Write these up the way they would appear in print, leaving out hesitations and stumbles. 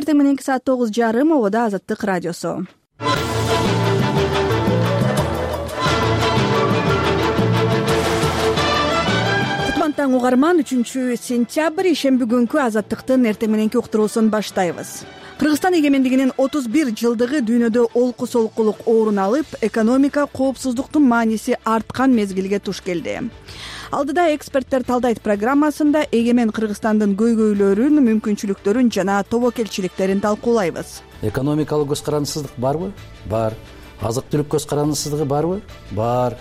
эртең мененки саат 9:30 обода Азаттык радиосу. Кутман угарман, 3-сентябрь ишемби күнкү Азаттыктын эртең мененки уктуруусун баштайбыз. Кыргызстан эгемендигинин 31 жылдыгы дүйнөдө олку солкулук оорун алып, экономика коопсуздуктун мааниси арткан мезгилге туш келди. Алдыда эксперттер талдайт программасында эгемен Кыргызстандын көйгөйлөрүн, мүмкүнчүлүктөрүн жана тобокелчиликтерин талкуулайбыз. Экономикалык көз карандысыздык барбы? Бар. Азык-түлүк көз карандысыздыгы барбы? Бар.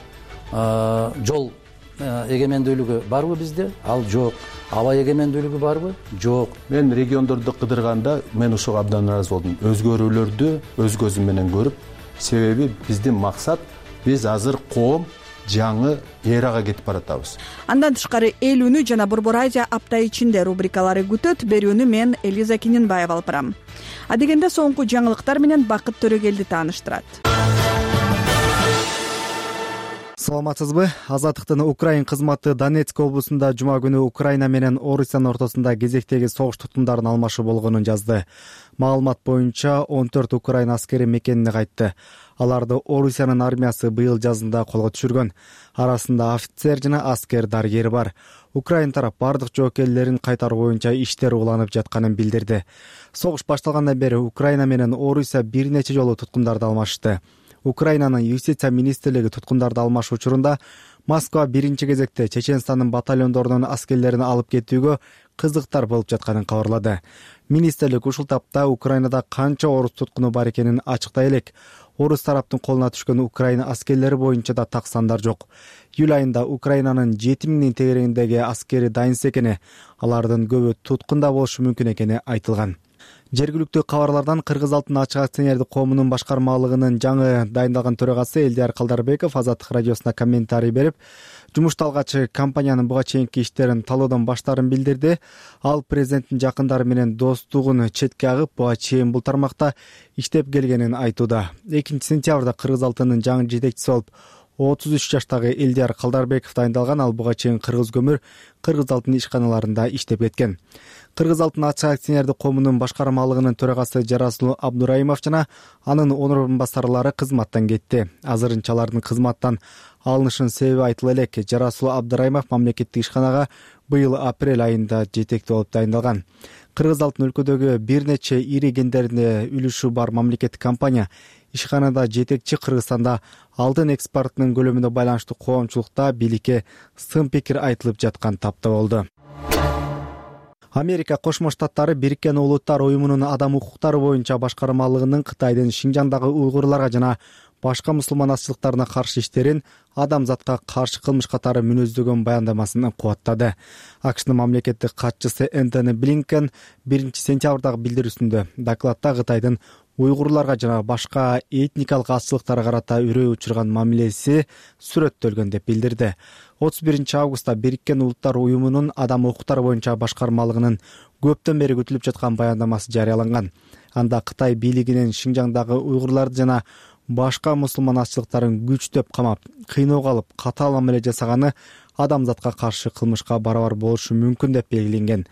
Жол эгемендүүлүгү барбы бизде? Ал жок. Аба эгемендүүлүгү барбы? Жок. Мен региондорду кыдырганда мен ушуга абдан ыраазы болдум. Өзгөрүүлөрдү өз көзүм менен көрүп, себеби биздин максат биз азыр коом жаңы эрага кетип баратабыз. Андан тышкары эл үнү жана Борбор Азия апта ичинде рубрикалары күтөт. Берүүнү мен Элиза Кининбаева алып барам. Адегенде соңку жаңылыктар менен Бакыт Төрөгелди тааныштырат. Саламатсызбы? Азаттыктын Украин кызматы Донецк облусунда жума күнү Украина менен Орусиянын ортосунда кезектеги согуш туткундарын алмашуу болгонун жазды. Маалымат боюнча 14 Украина аскери мекенине кайтты. Аларды Орусиянын армиясы быйыл жазында колго түшүргөн. Арасында офицер жана аскер дарыгер бар. Украин тарап бардык жоокерлерин кайтаруу боюнча иштер уланып жатканын билдирди. Согуш башталгандан бери Украина менен Орусия бир нече жолу туткундарды алмашты. Украинанын юстиция министрлиги туткундарды алмашуу учурунда Москва биринчи кезекте Чеченстандын батальондорунун аскерлерин алып кетүүгө кызыктар болуп жатканын кабарлады. Министрлик ушул тапта Украинада канча орус туткуну бар экенин ачыктай элек. Орус тараптын колуна түшкөн Украина аскерлери боюнча да так сандар жок. Июль айында Украинанын 7000 тегерегиндеги аскери дайынсыз экени, алардын көбү туткунда болушу мүмкүн экени айтылган. Жергиликтүү кабарлардан Кыргыз Алтын ачык акционердик коомунун башкармалыгынын жаңы дайындалган төрагасы Элдияр Калдарбеков Азаттык радиосуна комментарий берип, жумушта алгач компаниянын буга чейинки иштерин талоодон баштаарын билдирди. Ал президенттин жакындары менен достугун четке агып, буга чейин бул тармакта иштеп келгенин айтууда. 2-сентябрда Кыргыз Алтынынын жаңы жетекчиси болуп 33 жаштагы Элдияр Калдарбеков дайындалган. Ал буга чейин Кыргыз көмүр, Кыргыз Алтын ишканаларында иштеп кеткен. Кыргыз Алтын ачык акционердик коомунун башкармалыгынын төрагасы Жарасул Абдураимов жана анын орун басарлары кызматтан кетти. Азырынча алардын кызматтан алынышынын себеби айтыла элек. Жарасул Абдураимов мамлекеттик ишканага быйыл апрель айында жетекчи болуп дайындалган. Кыргыз Алтын өлкөдөгү бир нече ири кендеринде үлүшү бар мамлекеттик компания. Ишканада жетекчи Кыргызстанда алтын экспортунун көлөмүнө байланыштуу коомчулукта бийликке сын пикир айтылып жаткан тапта болду. Америка Кошмо Штаттары Бириккен Улуттар Уюмунун адам укуктары боюнча башкармалыгынын Кытайдын Шинжаңдагы уйгурларга жана башка мусулман азчылыктарына каршы иштерин адамзатка каршы кылмыш катары мүнөздөгөн баяндамасын кубаттады. АКШнын мамлекеттик катчысы Энтони Блинкен 1-сентябрдагы билдирүүсүндө докладта Кытайдын уйгурларга жана башка этникалык азчылыктарга карата үрөө учурган мамилеси сүрөттөлгөн деп билдирди. 31 августта Бириккен Улуттар Уюмунун адам укуктары боюнча башкармалыгынын көптөн бери күтүлүп жаткан баяндамасы жарыяланган. Анда Кытай бийлигинин Шинжаңдагы уйгурларды жана башка мусулман азчылыктарын күчтөп камап, кыйноого алып, катаал мамиле жасаганы адамзатка каршы кылмышка барабар болушу мүмкүн деп белгиленген.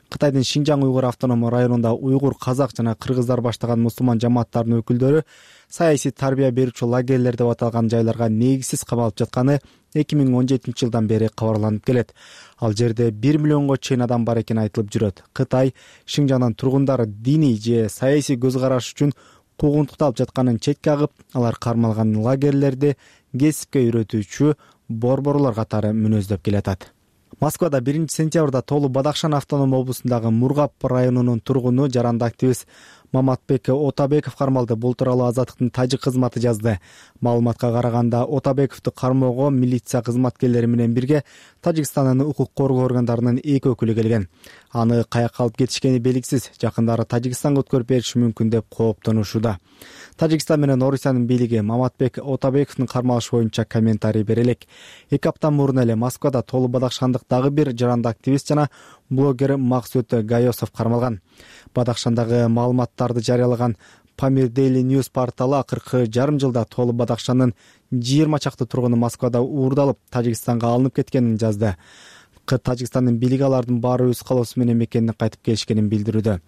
Кытайдын Шинжаң уйгур автономдук районунда уйгур, казак жана кыргыздар баштаган мусулман жамааттарынын өкүлдөрү саясий тарбия берүүчү лагерлер деп аталган жайларга негизсиз камалып жатканы 2017 жылдан бери кабарланып келет. Ал жерде 1 миллионго чейин адам бар экени айтылып жүрөт. Кытай Шинжаңдан тургундары диний же саясий көз караш үчүн куугунтукталып жатканын четке агып, алар кармалган лагерлерди кесипке үйрөтүүчү борборлор катары мүнөздөп келатат. Москвада 1-сентябрда Толу Бадахшан автономдук облусундагы Мургап районунун тургуну жаранды активист Маматбек Отабеков кармалды. Бул тууралуу Азаттыктын тажик кызматы жазды. Маалыматка караганда Отабековду кармоого милиция кызматкерлери менен бирге Тажикстандын укук коргоо органдарынын 2 өкүлү келген. Аны каяка алып кетишкени белгисиз. Жакындары Тажикстанга өткөрүп бериши мүмкүн деп кооптонушууда. Тажикстан менен Орусиянын бийлиги Маматбек Отабековдун кармалышы боюнча комментарий бере элек. 2 апта мурун эле Москвада Толу Бадахшандык дагы бир жаранды активист жана блогер Максут Гайосов кармалган. Бадахшандагы маалыматтарды жарыялаган Pamir Daily News порталы акыркы жарым жылда Толу Бадахшандын 20 чакты тургуну Москвада уурдалып, Тажикстанга алынып кеткенин жазды. Тажикстандын бийлиги алардын баары өз калоосу менен мекенине кайтып келишкенин билдирүүдө.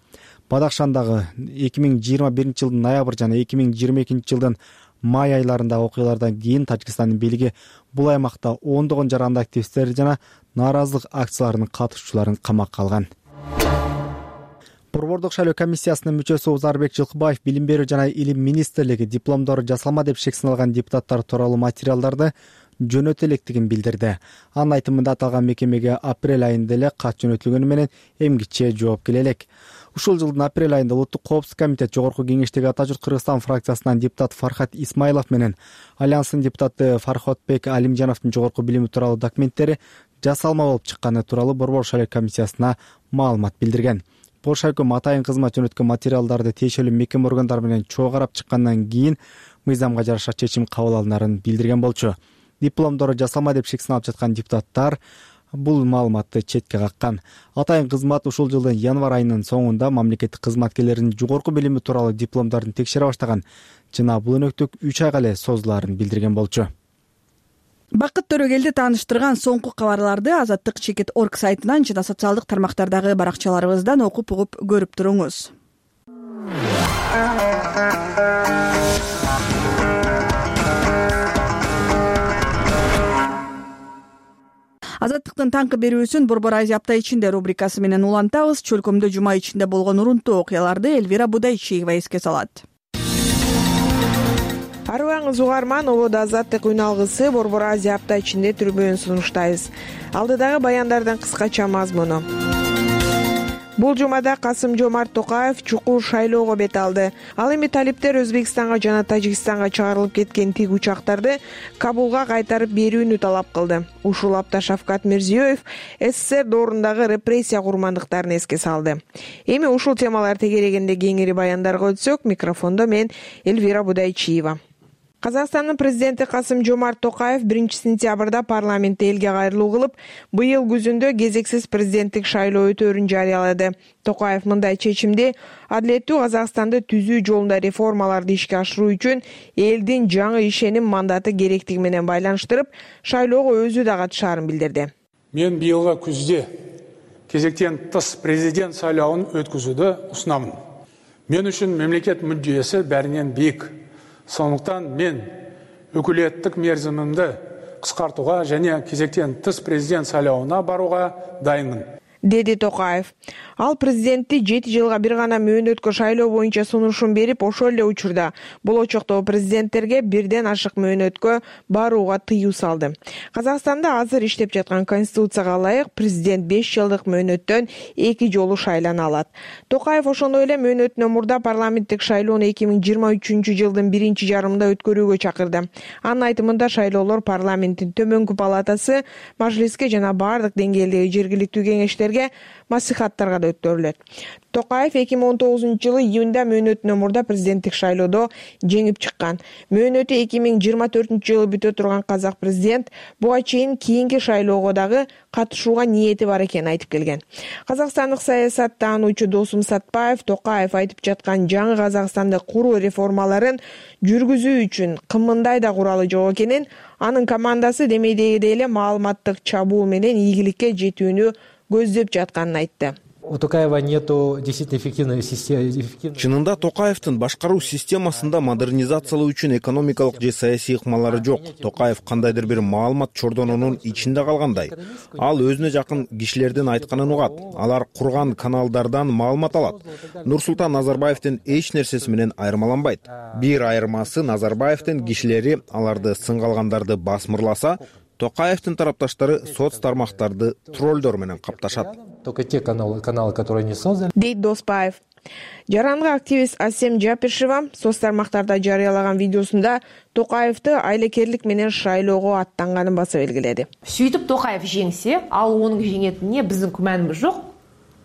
Бадахшандагы 2021 жылдын ноябрь жана 2022 жылдын май айларындагы окуялардан кийин Тажикстандын бийлиги бул аймакта ондогон жаранды активисттер жана нааразылык акцияларынын катышуучуларын камакка алган. Борбордук шайлоо комиссиясынын мүчөсү Узарбек Жылкыбаев билим берүү жана илим министрлиги дипломдору жасалма деп шек саналган депутаттар тууралуу материалдарды жөнөтө электигин билдирди. Анын айтымында аталган мекемеге апрель айында эле кат жөнөтүлгөнү менен эмгиче жооп келе элек. Ушул жылдын апрель айында Улуттук коопсуздук комитет жогорку кеңештеги Ата журт Кыргызстан фракциясынан депутат Фархат Исмайлов менен Альянстын депутаты Фархотбек Алимжановдун жогорку билими тууралуу документтери жасалма болуп чыкканы тууралуу Борбор шайлоо комиссиясына маалымат билдирген. Бош өкмөт атайын кызмат жөнөткөн материалдарды тиешелүү мекеме органдары менен чогуу карап чыккандан кийин мыйзамга жараша чечим кабыл алынарын билдирген болчу. Дипломдору жасалма деп шек саналып жаткан депутаттар бул маалыматты четке каккан. Атайын кызмат ушул жылдын январь айынын соңунда мамлекеттик кызматкерлердин жогорку билими тууралуу дипломдорун текшере баштаган жана бул өнөктүк 3 айга эле созулаарын билдирген болчу. Бакыт Төрөгелди тааныштырган соңку кабарларды Азаттык Чекит.org сайтынан жана социалдык тармактардагы баракчаларыбыздан окуп угуп көрүп туруңуз. Азаттыктын таңкы берүүсүн Борбор Азия апта ичинде рубрикасы менен улантабыз. Чөлкөмдө жума ичинде болгон урунтуу окуяларды Элвира Будайчиева эске салат. Арыбаңыз угарман, Ободо Азаттык үн алгысы Борбор Азия апта ичинде түрбөөн сунуштайбыз. Алдыдагы баяндардын кыскача мазмуну. Бул жумада Касым-Жомарт Токаев чукул шайлоого бет алды. Ал эми талиптер Өзбекстанга жана Тажикстанга чыгарылып кеткен тик учактарды Кабулга кайтарып берүүнү талап кылды. Ушул апта Шавкат Мирзиёев СССР доорундагы репрессия курмандыктарын эске салды. Эми ушул темалар тегерегинде кеңири баяндарга өтсөк, микрофондо мен Элвира Будайчиева. Казакстандын президенти Касым-Жомарт Токаев 1-сентябрда парламентте элге кайрылуу кылып, быйыл күзүндө кезексиз президенттик шайлоо өтөөрүн жарыялады. Токаев мындай чечимди адилеттүү Казакстанды түзүү жолунда реформаларды ишке ашыруу үчүн элдин жаңы ишеним мандаты керектиги менен байланыштырып, шайлоого өзү да катышаарын билдирди. Мен быйылғы күзде кезектен тыс президент сайлауын өткізуді ұсынамын. Мен үшін мемлекет мүддесі бәрінен биік. Сондықтан мен өкілеттік мерзімімді қысқартуға және кезектен тыс президент сайлауына баруға дайынмын. Деди Токаев. Ал президентти 7 жылга бир гана мөөнөткө шайлоо боюнча сунушун берип, ошол эле учурда болочоктогу президенттерге бирден ашык мөөнөткө барууга тыюу салды. Казакстанда азыр иштеп жаткан конституцияга ылайык президент 5 жылдык мөөнөттөн 2 жолу шайлана алат. Токаев ошондой эле мөөнөтүнөн мурда парламенттик шайлоону 2023 жылдын 1 жарымында өткөрүүгө чакырды. Анын айтымында шайлоолор парламенттин төмөнкү палатасы, мажлиске жана бардык деңгээлдеги жергиликтүү кеңештерге маслихаттарга да өткөрүлөт. Токаев 2019 жылы июнда мөөнөтүнөн мурда президенттик шайлоодо жеңип чыккан. Мөөнөтү 2024 жылы бүтө турган казак президент буга чейин кийинки шайлоого дагы катышууга ниети бар экенин айтып келген. Казакстандык саясаттануучу Досум Сатпаев Токаев айтып жаткан жаңы Казакстанды куруу реформаларын жүргүзүү үчүн кымындай да куралы жок экенин, анын командасы демейдегидей эле маалыматтык чабуул менен ийгиликке жетүүнү көздөп жатканын айтты. У Токаева нету действительно эффективной системы. Чынында Токаевдин башкаруу системасында модернизациялоо үчүн экономикалык же саясий ыкмалары жок. Токаев кандайдыр бир маалымат чордонунун ичинде калгандай. Ал өзүнө жакын кишилердин айтканын угат. Алар курган каналдардан маалымат алат. Нурсултан Назарбаевдин эч нерсеси менен айырмаланбайт. Бир айырмасы Назарбаевдин кишилери аларды сынгалгандарды басмырласа, Токаевдин тарапташтары соц тармактарды троллдор менен капташат. Только те каналы, которые не созданы. Дейт Доспаев. Жарандык активист Асем Жапишева соц тармактарда жарыялаган видеосунда Токаевди айлакерлик менен шайлоого аттанганын баса белгиледи. Сөйтүп Токаев жеңсе, ал онун жеңетине биздин күмөнүбүз жок.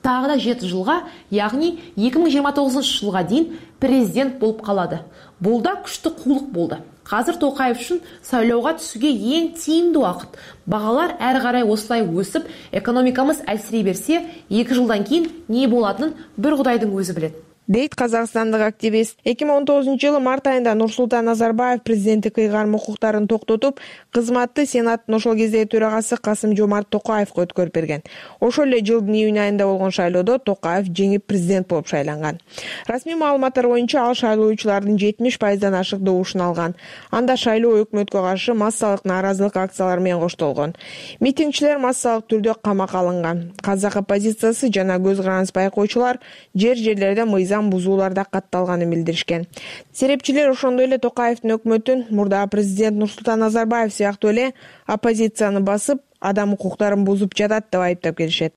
Тагы да 7 жылга, яғни 2029 жылга дейин президент болуп калады. Бул да күчтүү куулук болду. Казыр Токаев үчүн сайлоого түсүүгө эң тийимдүү убакыт. Багалар ар карай осулай өсүп, экономикамыз әлсирей берсе, 2 жылдан кийин не болатынын бир Кудайдын өзү билет. дейт казакстандык активист. 2019-жылы март айында Нурсултан Назарбаев президенттик ыйгарым укуктарын токтотуп, кызматты Сенаттын ошол кездеги төрагасы Касым-Жомарт Токаевге өткөрүп берген. Ошол эле жылдын июнь айында болгон шайлоодо Токаев жеңип президент болуп шайланган. Расмий маалыматтар боюнча ал шайлоочулардын 70%дан ашык добушун алган. Анда шайлоо өкмөткө каршы массалык нааразылык акциялары менен коштолгон. Митингчилер массалык түрдө камакка алынган. Казак оппозициясы жана көз каранды байкоочулар жерлерде мыйзам бузууларда катталганын билдиришкен. Серепчилер ошондой эле Токаевдин өкмөтүн мурдагы президент Нурсултан Назарбаев сыяктуу эле оппозицияны басып, адам укуктарын бузуп жатат деп айыптап келишет.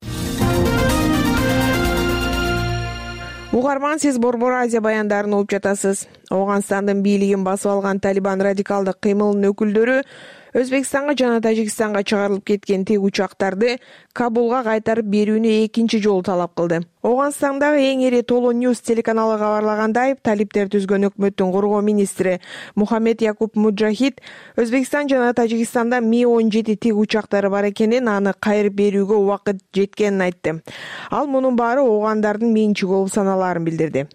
Угарман, сиз Борбор Азия баяндарын угуп жатасыз. Ооганстандын бийлигин басып алган Талибан радикалдык кыймылынын өкүлдөрү Өзбекстанга жана Тажикстанга чыгарылып кеткен тик учактарды Кабулга кайтарып берүүнү экинчи жолу талап кылды. Ооганстандагы эң ири Толо Ньюс телеканалы кабарлагандай, талиптер түзгөн өкмөттүн коргоо министри Мухаммед Якуб Муджахид Өзбекстан жана Тажикстанда Ми-17 тик учактары бар экенин, аны кайрып берүүгө убакыт жеткенин айтты. Ал мунун баары оогандардын менчиги болуп саналаарын билдирди.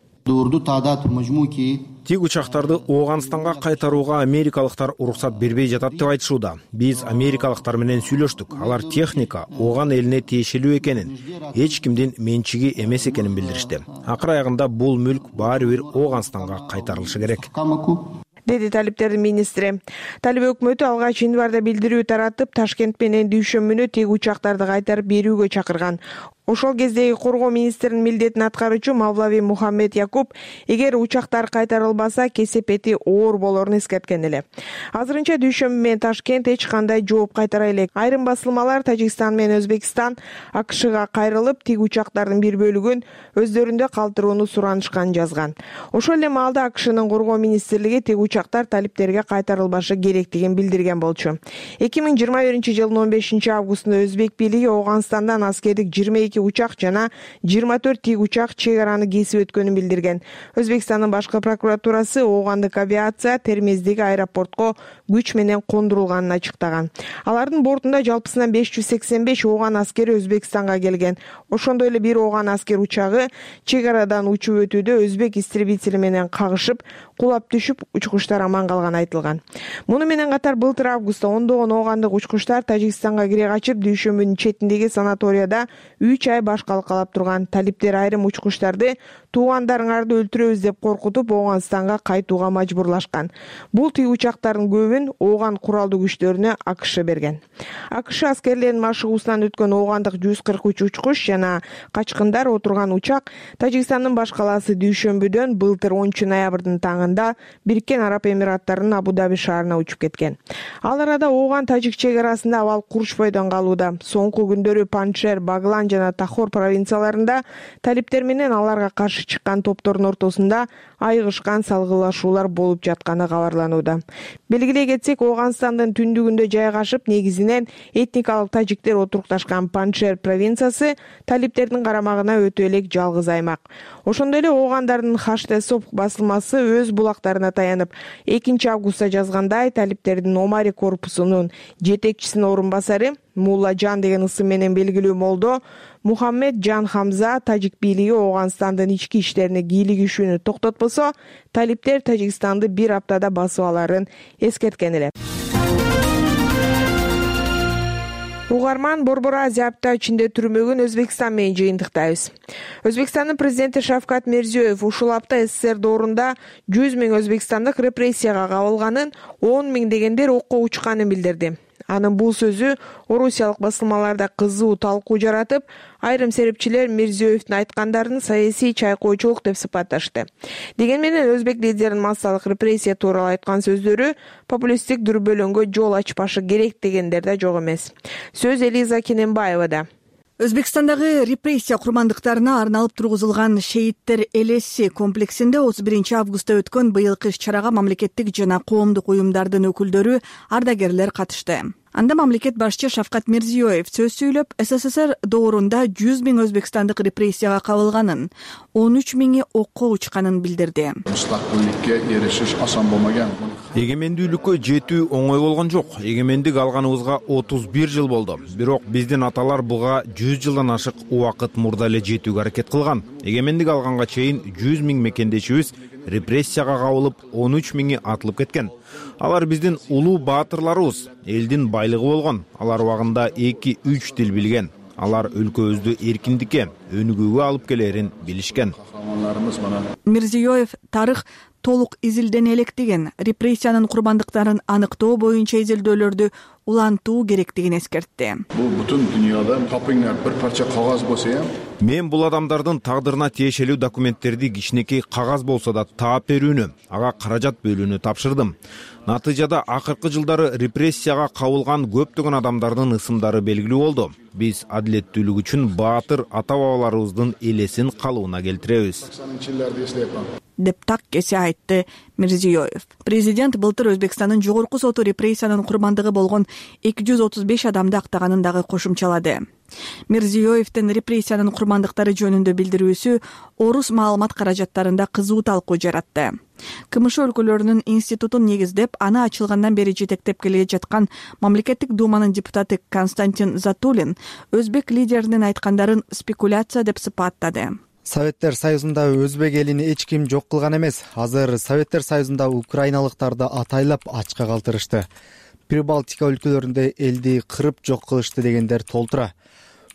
Тик учактарды Ооганстанга кайтарууга америкалыктар уруксат бербей жатат деп айтышууда. Биз америкалыктар менен сүйлөштүк. Алар техника Ооган элине тиешелүү экенин, эч кимдин менчиги эмес экенин билдиришти. Акыр аягында бул мүлк баары бир Ооганстанга кайтарылышы керек, деди талиптердин министри. Талиб өкмөтү алгач январда билдирүү таратып, Ташкент менен Дүйшөмбүнү тик учактарды кайтарып берүүгө чакырган. Ошол кездеги коргоо министринин милдетин аткаруучу Мавлави Мухаммед Якуб, эгер учактар кайтарылбаса, кесепети оор болорун эскерткен эле. Азырынча Дүйшөмбү менен Ташкент эч кандай жооп кайтара элек. Айрым басылмалар Тажикстан менен Өзбекстан АКШга кайрылып, тик учактардын бир бөлүгүн өздөрүндө калтырууну суранышканын жазган. Ошол эле маалда АКШнын коргоо министрлиги тик учактар талиптерге кайтарылбашы керектигин билдирген болчу. 2021-жылдын 15-августунда Өзбек бийлиги Ооганстандан аскердик 22 учак жана 24 тик учак чек араны кесип өткөнүн билдирген. Өзбекстандын башкы прокуратурасы оогандык авиация Термиздеги аэропортко күч менен кондурулганын ачыктаган. Алардын бортунда жалпысынан 585 ооган аскери Өзбекстанга келген. Ошондой эле бир ооган аскер учагы чек арадан учуп өтүүдө өзбек истребители менен кагышып, кулап түшүп, учкучтар аман калганы айтылган. Муну менен катар былтыр августта ондогон оогандык учкучтар Тажикстанга кире качып, Дүйшөмбүнүн четиндеги санаторияда 3 ай башкалык калап турган. Талиптер айрым учкучтарды туугандарыңарды өлтүрөбүз деп коркутуп, Ооганстанга кайтууга мажбурлашкан. Бул тик учактардын көбүн ооган куралдуу күчтөрүнө АКШ берген. АКШ аскерлеринин машыгуусунан өткөн оогандык 143 учкуч жана качкындар отурган учак Тажикстандын баш калаасы Дүйшөмбүдөн былтыр 10 ноябрдын таңында Бириккен Араб Эмираттарынын Абу-Даби шаарына учуп кеткен. Ал арада ооган-тажик чек арасында абал курушпойдон калууда. Соңку күндөрү Паншер, Баглан жана Тахор провинцияларында талиптер менен аларга каршы чыккан топтордун ортосунда айыгышкан салгылашуулар болуп жатканы кабарланууда. Белгилей кетсек, Ооганстандын түндүгүндө жайгашып, негизинен этникалык тажиктер отурукташкан Паншер провинциясы талиптердин карамагына өтө элек жалгыз аймак. Ошондой эле оогандардын Хаштесоп басылмасы өз булактарына таянып, 2 августта жазгандай, талиптердин Омари корпусунун жетекчисинин орун басары Мулла Жан деген ысым менен белгилүү молдо Мухаммед Жан Хамза тажик бийлиги Ооганстандын ички иштерине кийлигишүүнү токтотпосо, талиптер Тажикстанды бир аптада басып аларын эскерткен эле. Угарман, Борбор Азия апта ичинде түрмөгүн Өзбекстан менен жыйынтыктайбыз. Өзбекстандын президенти Шавкат Мирзиёев ушул апта СССР доорунда 100 000 өзбекстандык репрессияга кабылганын, 10 000 дегендер окко учканын билдирди. Анын бул сөзү орусиялык басылмаларда кызуу талкуу жаратып, айрым серепчилер Мирзиёевдин айткандарын саясий чайкоочулук деп сыпатташты. Деген менен өзбек лидеринин массалык репрессия тууралуу айткан сөздөрү популисттик дүрбөлөңгө жол ачпашы керек дегендер да жок эмес. Сөз Элиза Кененбаевада. Өзбекстандагы репрессия курмандыктарына арналып тургузулган шейиттер элеси комплексинде 31 августта өткөн быйылкы иш-чарага мамлекеттик жана коомдук уюмдардын өкүлдөрү, ардагерлер катышты. Анда мамлекет башчы Шавкат Мирзиёев сөз сүйлөп, СССР доорунда 100 000 өзбекстандык репрессияга кабылганын, 13 000 окко учканын билдирди. Мустакылдыкка эришиш асан болмаган. Эгемендүүлүккө жетүү оңой болгон жок. Эгемендик алганыбызга 31 жыл болду. Бирок биздин аталар буга 100 жылдан ашык убакыт мурда эле жетүүгө аракет кылган. Эгемендик алганга чейин 100 000 мекендешибиз репрессияга кабылып, 13 000 атылып кеткен. Алар биздин улуу баатырларыбыз, элдин байлыгы болгон. Алар убагында 2-3 тил билген. Алар өлкөбүздү эркиндикке, өнүгүүгө алып келерин билишкен. Мирзиёев тарых толук изилдене элек деген, репрессиянын курбандыктарын аныктоо боюнча изилдөөлөрдү улантуу керектигин эскертти. Бул бүтүн дүйнөдө капыңда бир парча кагаз болсо, мен бул адамдардын тагдырына тиешелүү документтерди кичинекей кагаз болсо да таап берүүнү, ага каражат бөлүүнү тапшырдым. Натыйжада акыркы жылдары репрессияга кабылган көптөгөн адамдардын ысымдары белгилүү болду. Биз адилеттүүлүк үчүн баатыр ата-бабаларыбыздын элесин калыбына келтиребиз, деп так кесе айтты Мирзиёев. Президент былтыр Өзбекстандын жогорку соту репрессиянын курбандыгы болгон 235 адамды актаганын дагы кошумчалады. Мирзиёевдин репрессиянын курбандыктары жөнүндө билдирүүсү орус маалымат каражаттарында кызуу талкуу жаратты. КМШ өлкөлөрүнүн институтун негиздеп, аны ачылгандан бери жетектеп келе жаткан мамлекеттик думанын депутаты Константин Затулин өзбек лидеринин айткандарын спекуляция деп сыпаттады. Советтер Союзунда өзбек элин эч ким жок кылган эмес. Азыр Советтер Союзунда украиналыктарды атайлап ачка калтырышты. Прибалтика өлкөлөрүндө элди кырып жок кылышты дегендер толтура.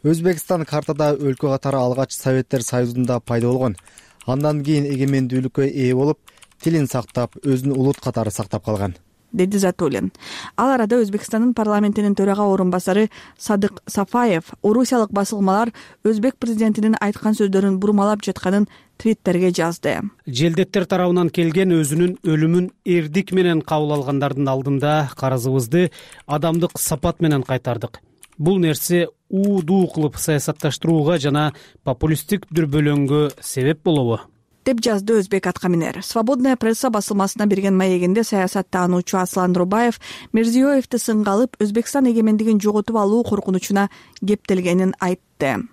Өзбекстан картада өлкө катары алгач Советтер Союзунда пайда болгон. Андан кийин эгемендүүлүккө ээ болуп, тилин сактап, өзүн улут катары сактап калган, деди Затулин. Ал арада Өзбекстандын парламентинин төрага орун басары Садык Сафаев орусиялык басылмалар өзбек президентинин айткан сөздөрүн бурмалап жатканын твиттерге жазды. Желдеттер тарабынан келген өзүнүн өлүмүн эрдик менен кабыл алгандардын алдында карызыбызды адамдык сапат менен кайтардык. Бул нерсе уудуу кылып саясатташтырууга жана популисттик дүрбөлөңгө себеп болобу? Деп жазды өзбек аткаминер. Свободная пресса басылмасына берген маегинде саясаттануучу Аслан Рубаев Мирзиёевди сынга алып, Өзбекстан эгемендигин жоготуп алуу коркунучуна кептелгенин айтты.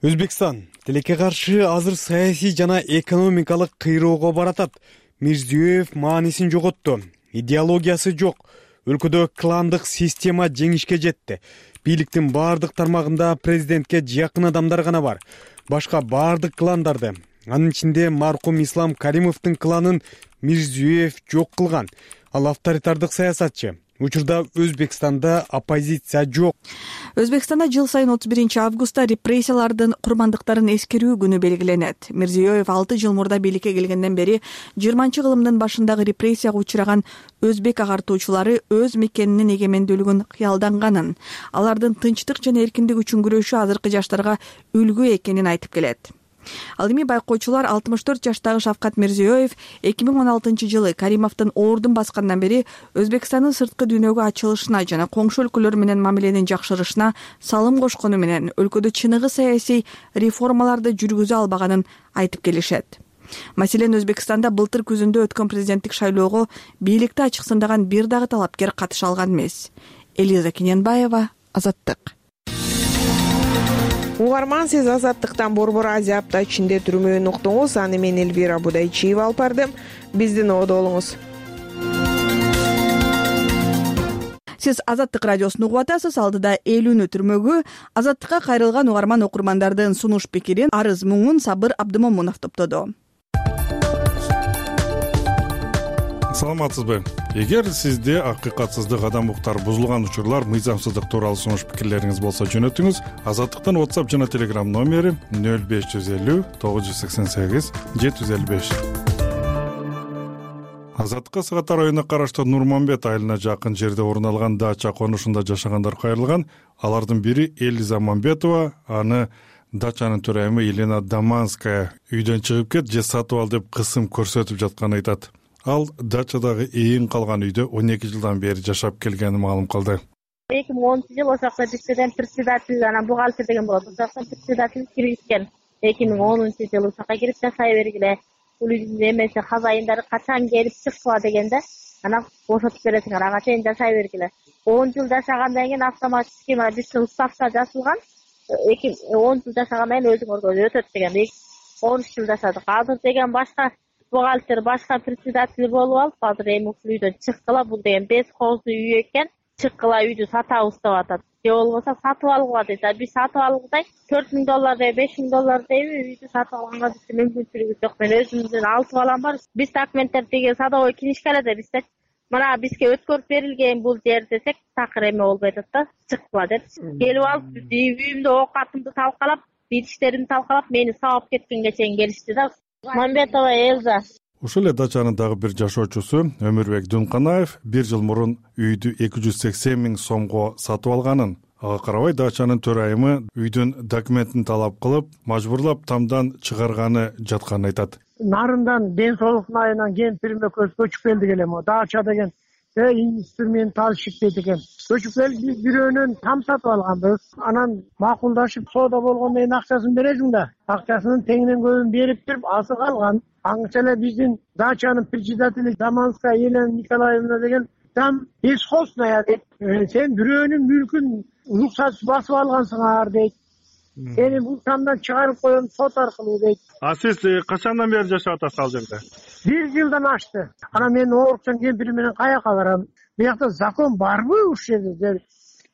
Өзбекстан тилекке каршы азыр саясий жана экономикалык кыйроого баратат. Мирзиёев маанисин жоготту. Идеологиясы жок. Өлкөдө кландык система жеңишке жетти. Бийликтин баардык тармагында президентке жакын адамдар гана бар. Башка баардык кландарды, анын ичинде маркум Ислам Каримовдун кланын Мирзиёев жок кылган. Ал авторитардык саясатчы. Учурда Өзбекстанда оппозиция жок. Өзбекстанда жыл сайын 31 августта репрессиялардын курмандыктарын эскерүү күнү белгиленет. Мирзиёев 6 жыл мурда бийликке келгенден бери 20-кылымдын башындагы репрессияга учураган өзбек агартуучулары өз мекенинин эгемендүүлүгүн кыялданганын, алардын тынчтык жана эркиндик үчүн күрөшүү азыркы жаштарга үлгү экенин айтып келет. Ал эми байкоочулар 64 жаштагы Шавкат Мирзиёев 2016 жылы Каримовдун ордун баскандан бери Өзбекстандын сырткы дүйнөгө ачылышына жана коңшу өлкөлөр менен мамиленин жакшырышына салым кошкону менен өлкөдө чыныгы саясий реформаларды жүргүзө албаганын айтып келишет. Маселен, Өзбекстанда былтыр күзүндө өткөн президенттик шайлоого бийликти ачыксындаган бир дагы талапкер катыша алган эмес. Элиза Кененбаева, Азаттык. Угарман, сиз Азаттыктан Борбор Азия апта ичинде түрмөөнү уктуңуз. Аны мен Элвира Будайчиева алып бардым. Биздин ободо болуңуз. Сиз Азаттык радиосун угуп атасыз. Алдыда 50 түрмөгү Азаттыкка кайрылган угарман окурмандардын сунуш пикирин, арыз муңун Сабыр Абдымомунов топтоду. Саламатсызбы? Эгер сизде акыйкатсыздык, адам укуктары бузулган учурлар, мыйзамсыздык тууралуу сунуш пикирлериңиз болсо жөнөтүңүз. Азаттыктан WhatsApp жана Telegram номери 0550 988 755. Азаттыкка Сыгатар районуна караштуу Нурманбет айылына жакын жерде орун алган дача конушунда жашагандар кайрылган. Алардын бири Элиза Мамбетова, аны дачанын төрайымы Елена Даманская үйдөн чыгып кет же сатып ал деп кысым көрсөтүп жатканын айтат. Ал дачадагы эйин калган үйдө 12 жылдан бери жашап келгенин маалым кылды. 2010 жыл ошол жакта бизден председатель, анан бухгалтер деген болот. Ошол жактан председатель киргизген. 2010 жылы ошол жака кирип жашай бергиле. Бул үйдүн эмеси хозяиндары качан келип чыкпа дегенде, анан бошотуп бересиңер, ага чейин жашай бергиле. 10 жыл жашагандан кийин автоматик схема биздин уставда жазылган. 10 жыл жашагандан кийин өзүңөргө өтөт деген. 13 жыл жашадык. Азыр деген башка бухгалтер, башка председатель болуп алып, азыр эми ушул үйдөн чыккыла. Бул деген 5 кооздуу үй экен. Чыккыла үйдү сатабыз деп атат. Же болбосо сатып алууга дейт. Биз сатып алгыдай $4000 деп $5000 дейби, үйдү сатып алганга биздин мүмкүнчүлүгүбүз жок. Мен өзүмдүн 6 балам бар. Биз документтер деген садовой книжкаларда бизде мына бизге өткөрүп берилген бул жер десек, такыр эме болбой атат да, чыккыла деп. Келип алып үйүмдө оокатымды талкалап, битиштеримди талкалап, мени сабап кеткенге чейин келишти да. Мамбетова Элза. Ушул эле дачанын дагы бир жашоочусу Өмүрбек Дунканаев 1 жыл мурун үйдү 280 000 сомго сатып алганын, ага карабай дачанын төрайымы үйдүн документин талап кылып, мажбурлап тамдан чыгарганы жатканын айтат. Нарындан ден соолук айынан кемпирим экөөбүз көчүп келдик эле, дача деген инструментал шиктет экен. Көчүп келип биз бирөөнөн там сатып алганбыз. Анан макулдашып соода болгондон кийин акчасын бересиң да. Акчасынын теңинен көбүн берип туруп азыр калган. Аңча эле биздин дачанын председатели Даманская Елена Николаевна деген там бесхозная дейт. Сен бирөөнүн мүлкүн уруксатсыз басып алгансыңар дейт. Сени бул тамдан чыгарып коем сот аркылуу дейт. А сиз качандан бери жашап атасыз ал жерде? 1 жылдан ашты. Анан мен оорукчан кемпирим менен каяка барам? Биякта закон барбы ушул жерде?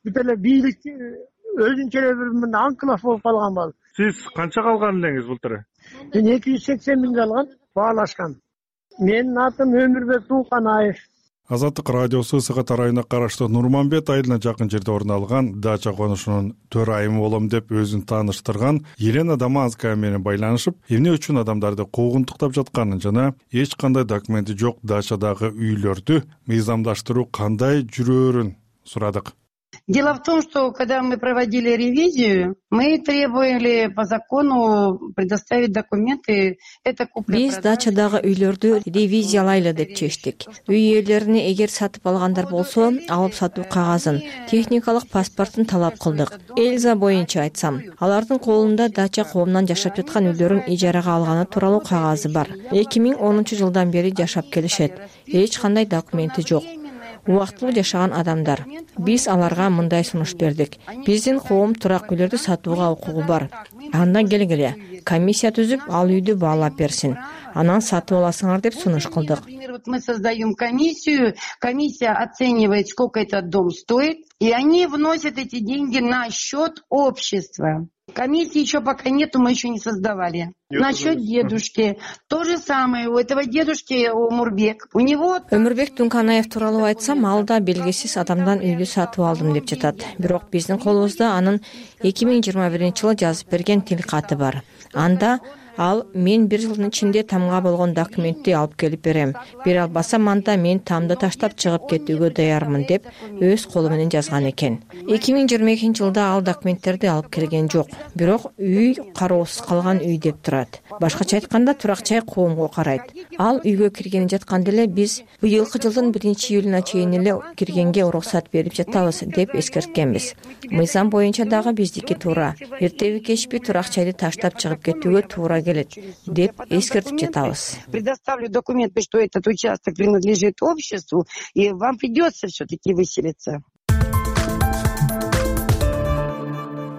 Бүт эле бийлик өзүнчө эле бир анклав болуп калганбы? Сиз канча калган элеңиз былтыр? Мен 280 000 алган, баалашкан. Менин атым Өмүрбек Дунканаев. Азаттык радиосу Сыгат районуна караштуу Нурманбет айылына жакын жерде орун алган дача конушунун төрайымы болом деп өзүн тааныштырган Елена Даманская менен байланышып, эмне үчүн адамдарды куугунтуктап жатканын жана эч кандай документи жок дачадагы үйлөрдү мыйзамдаштыруу кандай жүрөөрүн сурадык. Дело в том, что когда мы проводили ревизию, мы требовали по закону предоставить документы. Биз дачадагы үйлөрдү ревизиялайлы деп чечтик. Үй ээлерине эгер сатып алгандар болсо, алып сатуу кагазын, техникалык паспортун талап кылдык. Элза боюнча айтсам, алардын колунда дача коомунан жашап жаткан үйлөрүн ижарага алганы тууралуу кагазы бар. 2010 жылдан бери жашап келишет. Эч кандай документи жок. Убактылуу жашаган адамдар. Биз аларга мындай сунуш бердик. Биздин коом турак үйлөрдү сатууга укугу бар. Андан келгиле, комиссия түзүп, ал үйдү баалап берсин. Анан сатып аласыңар деп сунуш кылдык. Мы создаем комиссию, комиссия оценивает, сколько этот дом стоит, и они вносят эти деньги на счет общества. Комиссии еще пока нету, мы еще не создавали. Насчет дедушки. То же самое. У этого дедушки Умурбек. У него... Өмүрбек Дунканаев тууралуу айтсам, ал да белгисиз адамдан үйдү сатып алдым деп жатат. Бирок биздин колубузда анын 2021-жылы жазып берген тил каты бар. Анда ал мен 1 жылдын ичинде тамга болгон документти алып келип берем. Бере албасам анда мен тамды таштап чыгып кетүүгө даярмын деп өз колу менен жазган экен. 2022-жылда ал документтерди алып келген жок. Бирок үй кароосуз калган үй деп турат. Башкача айтканда турак-жай коомго карайт. Ал үйгө киргени жатканда эле биз быйылкы жылдын 1-июлуна чейин эле киргенге уруксат берип жатабыз деп эскерткенбиз. Мыйзам боюнча дагы биздики туура. Эртеби кечпи турак-жайды таштап чыгып кетүүгө туура келет деп эскертип жатабыз. Предоставлю документы, что этот участок принадлежит обществу, и вам придется все-таки выселиться.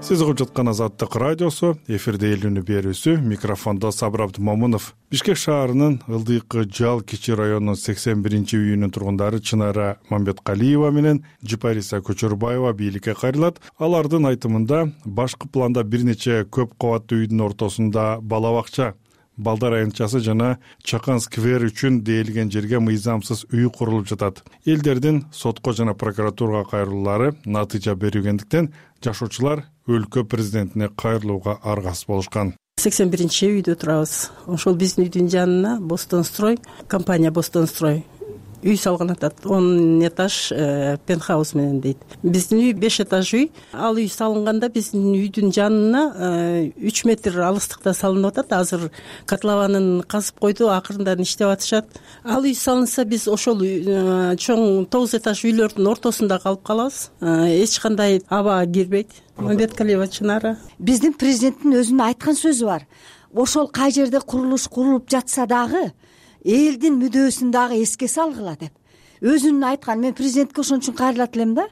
Сиз угуп жаткан Азаттык радиосу, эфирде эл үнү берүүсү, микрофондо Сабыр Абдымомунов. Бишкек шаарынын Ылдыйкы Жал Кичи районунун 81-үйүнүн тургундары Чынара Мамбеткалиева менен Жипариса Көчөрбаева бийликке кайрылат. Алардын айтымында башкы планда бир нече көп кабаттуу үйдүн ортосунда бала бакча, балдар аянтчасы жана Чакан сквер үчүн дээлген жерге мыйзамсыз үй курулуп жатат. Элдердин сотко жана прокуратурага кайрылуулары натыйжа берүүгөндүктөн жашоочулар өлкө президентине кайрылууга аргасыз болушкан. 81-үйдө турабыз. Ошол биздин үйдүн жанына Бостонстрой, компания Бостонстрой үй салган атат. 10 этаж пентхаус менен дейт. Биздин үй 5 этаж үй. Ал үй салынганда биздин үйдүн жанына 3 метр алыстыкта салынып атат. Азыр котлованын казып койду, акырындан иштеп атышат. Ал үй салынса биз ошол чоң 9 этаж үйлөрдүн ортосунда калып калабыз. Эч кандай аба кирбейт. Мамбеткалиева Чынара. Биздин президенттин өзүнүн айткан сөзү бар. Ошол кай жерде курулуш курулуп жатса дагы элдин мүдөөсүн дагы эске салгыла деп. өзүнүн айткан, мен президентке ошон үчүн кайрылат элем да,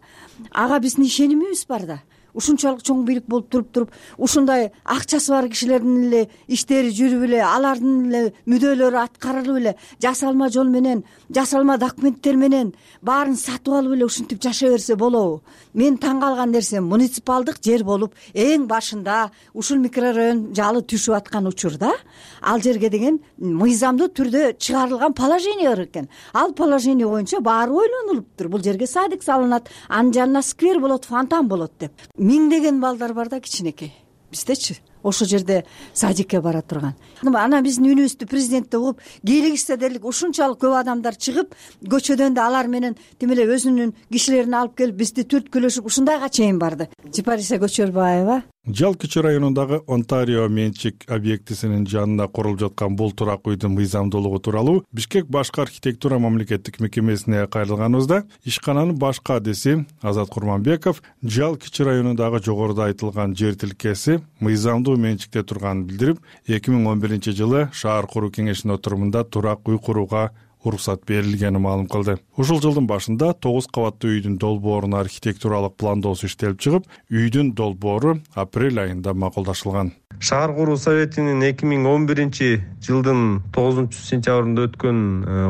ага биздин ишенимибиз бар да. Ушунчалык чоң бийлик болуп туруп ушундай акчасы бар кишилердин эле иштери жүрүп эле, алардын эле мүдөлөрү аткарылып эле, жасалма жол менен, жасалма документтер менен баарын сатып алып эле ушинтип жашай берсе болобу? Мен таң калган нерсем, муниципалдык жер болуп эң башында ушул микрорайон жалы түшүп аткан учурда ал жерге деген мыйзамдуу түрдө чыгарылган положение бар экен. Ал положение боюнча баары ойлонулуптур. Бул жерге садик салынат, анын жанына сквер болот, фонтан болот деп. Миңдеген балдар бар да, кичинекей. Биздечи ошол жерде садикке бара турган. Анан биздин үнүбүздү президентте угуп, кийлигишсе дерлик ушунчалык көп адамдар чыгып, көчөдөн да алар менен тим эле өзүнүн кишилерин алып келип бизди түрткүлөшүп ушундайга чейин барды. Жипариса Көчөрбаева. Жал Кичи районундагы Онтарио менчик объектисинин жанына курулуп жаткан бул турак үйдүн мыйзамдуулугу тууралуу Бишкек башкы архитектура мамлекеттик мекемесине кайрылганыбызда ишкананын башкы адиси Азат Курманбеков Жал Кичи районундагы жогоруда айтылган жер тилкеси мыйзамдуу менчикте турганын билдирип, 2011-жылы шаар куруу кеңешинин отурумунда турак үй курууга уруксат берилгенин маалым кылды. Ушул жылдын башында 9 кабаттуу үйдүн долбоорун архитектуралык пландоосу иштелип чыгып, үйдүн долбоору апрель айында макулдашылган. Шаар куруу советинин 2011-жылдын 9-сентябрында өткөн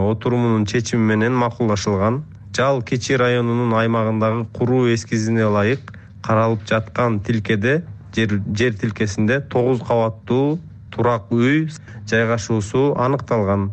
отурумунун чечими менен макулдашылган. Жал Кичи районунун аймагындагы куруу эскизине ылайык каралып жаткан тилкеде жер тилкесинде 9 кабаттуу турак үй жайгашуусу аныкталган.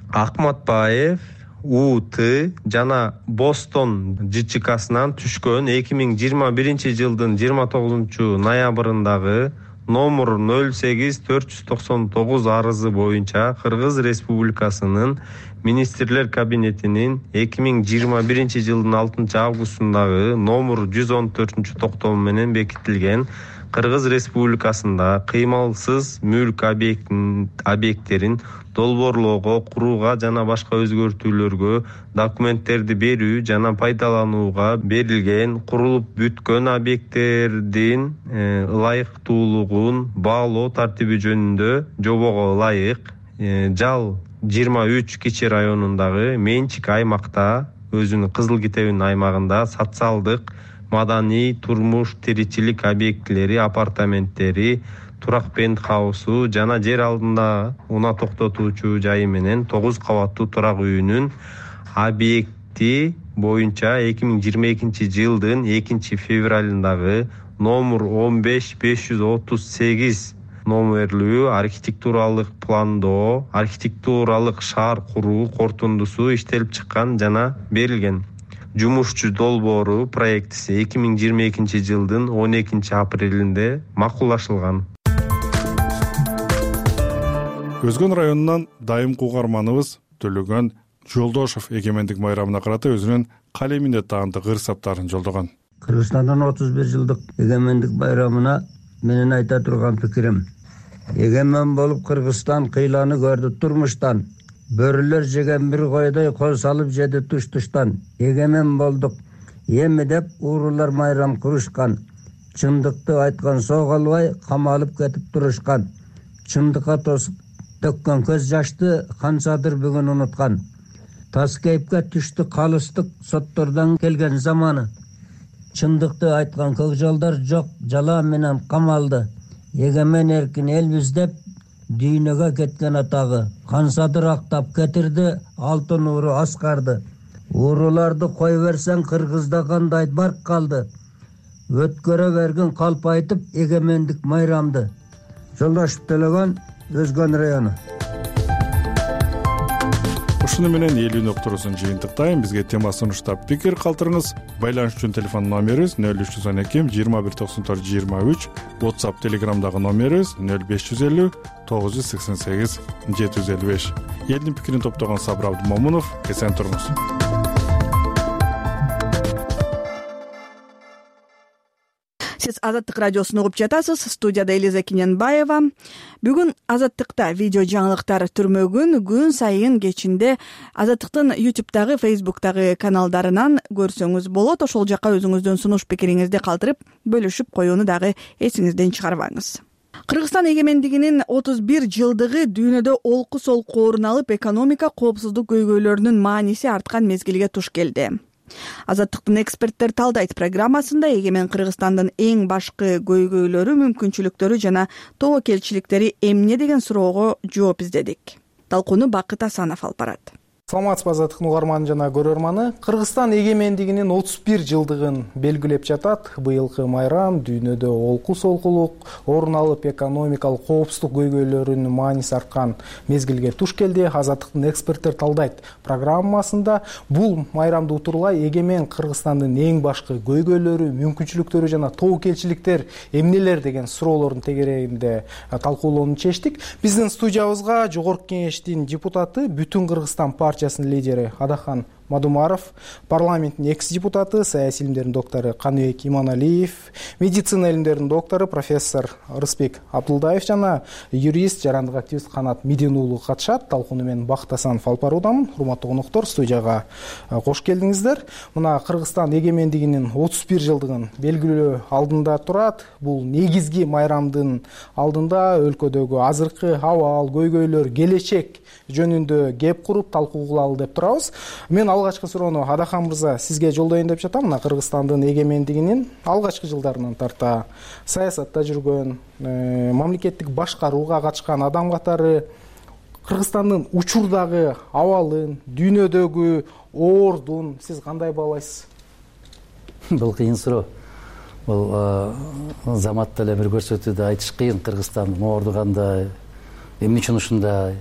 Акматбаев УТ жана Бостон ЖЧКсынан түшкөн 2021-жылдын 29-ноябрындагы номер 08499 арызы боюнча Кыргыз Республикасынын Министрлер кабинетинин 2021-жылдын 6-августундагы номер 114-токтому менен бекитилген Кыргыз Республикасында кыймалсыз мүлк объекттерин долбоорлоого, курууга жана башка өзгөртүүлөргө документтерди берүү жана пайдаланууга берилген курулуп бүткөн объекттердин ылайыктуулугун баалоо тартиби жөнүндө жобого ылайык Жал 23 Кичи районундагы менчик аймакта өзүнүн кызыл китебинин аймагында социалдык, маданий, турмуш, тиричилик объектилери, апартаменттери, турак пентхаусу жана жер алдында унаа токтотуучу жайы менен 9 кабаттуу турак үйүнүн объекти боюнча 2022-жылдын 2-февралындагы номер 15538 номерлүү архитектуралык пландоо, архитектуралык шаар куруу корутундусу иштелип чыккан жана берилген. Жумушчу долбоору проектиси 2022-жылдын 12-апрелинде макулдашылган. Өзгөн районунан дайымкы угарманыбыз Төлөгөн Жолдошов эгемендик майрамына карата өзүнүн калеминде таандык ырсаптарын жолдогон. Кыргызстандын 31 жылдык эгемендик байрамына менин айта турган пикирим: эгемен болуп Кыргызстан кыйланы көрдү турмуштан. Бөрүлөр жеген бир койдой кол салып жеди туш-туштан. Эгемен болдук эми деп уурулар майрам курушкан. Чындыкты айткан соо калбай камалып кетип турушкан. Чындыкка төккөн көз жашты канчадыр бүгүн унуткан. Тас кейипке түштү калыстык соттордон келген заманы. Чындыкты айткан көкжолдор жок жала менен камалды. Эгемен эркин элбиз деп дүйнөгө кеткен атагы. Кансадыр актап кетирди алтын ууру аскарды. Ууруларды кой берсең Кыргызда кандай барк калды. Өткөрө берген калп айтып эгемендик майрамды. Жолдошов Төлөгөн, Өзгөн району. Ушуну менен элүү нокторусун жыйынтыктайм. Бизге тема сунуштап пикир калтырыңыз. Байланыш үчүн телефон номерибиз 0312 2194 23, WhatsApp Telegramдагы номерибиз 0550 988 755. Элдин пикирин топтогон Сабыр Абдымомунов. Эсен туруңуз. Сиз Азаттык радиосун угуп жатасыз. Студияда Элиза Кененбаева. Бүгүн Азаттыкта видео жаңылыктар түрмөгүн күн сайын кечинде Азаттыктын YouTube'дагы, Facebook'дагы каналдарынан көрсөңүз болот. Ошол жака өзүңүздүн сунуш пикириңизди калтырып, бөлүшүп коюуну дагы эсиңизден чыгарбаңыз. Кыргызстан эгемендигинин 31 жылдыгы дүйнөдө олку солку орун алып, экономика коопсуздук көйгөйлөрүнүн мааниси арткан мезгилге туш келди. Азаттыктын эксперттер талдайт программасында эгемен Кыргызстандын эң башкы көйгөйлөрү, мүмкүнчүлүктөрү жана тобокелчиликтери эмне деген суроого жооп издедик. Талкууну Бакыт Асанов алып барат. Саламатсызбы азаттыктын угарманы жана көрөрманы. Кыргызстан эгемендигинин 31 жылдыгын белгилеп жатат. Быйылкы майрам дүйнөдө олку солкулук орун алып, экономикалык коопсуздук көйгөйлөрүнүн мааниси арткан мезгилге туш келди. Азаттыктын эксперттер талдайт программасында бул майрамды утурлай эгемен Кыргызстандын эң башкы көйгөйлөрү, мүмкүнчүлүктөрү жана тобокелчиликтер эмнелер деген суроолордун тегерегинде талкуулоону чечтик. Биздин студиябызга Жогорку Кеңештин депутаты, Бүтүн Кыргызстан партиясынын лидери Адахан Мадумаров, парламенттин экс-депутаты, саясий илимдердин доктору Каныбек Иманалиев, медицина илимдердин доктору профессор Рыспек Абдулдаев жана юрист, жарандык активист Канат Мидин уулу катышат. Талкууну мен Бакыт Асанов алып баруудамын. Урматтуу конуктор, студияга кош келдиңиздер. Мына Кыргызстан эгемендигинин 31 жылдыгын белгилөө алдында турат. Бул негизги майрамдын алдында өлкөдөгү азыркы абал, көйгөйлөр, келечек жөнүндө кеп куруп талкуу кылалы деп турабыз. Мен алгачкы суроону Адахан мырза сизге жолдоюн деп жатам. Мына Кыргызстандын эгемендигинин алгачкы жылдарынан тарта саясатта жүргөн, мамлекеттик башкарууга катышкан адам катары Кыргызстандын учурдагы абалын, дүйнөдөгү ордун сиз кандай баалайсыз? Бул кыйын суроо. Бул заматта эле бир көрсөтүүдө айтыш кыйын. Кыргызстандын орду кандай, эмне үчүн ушундай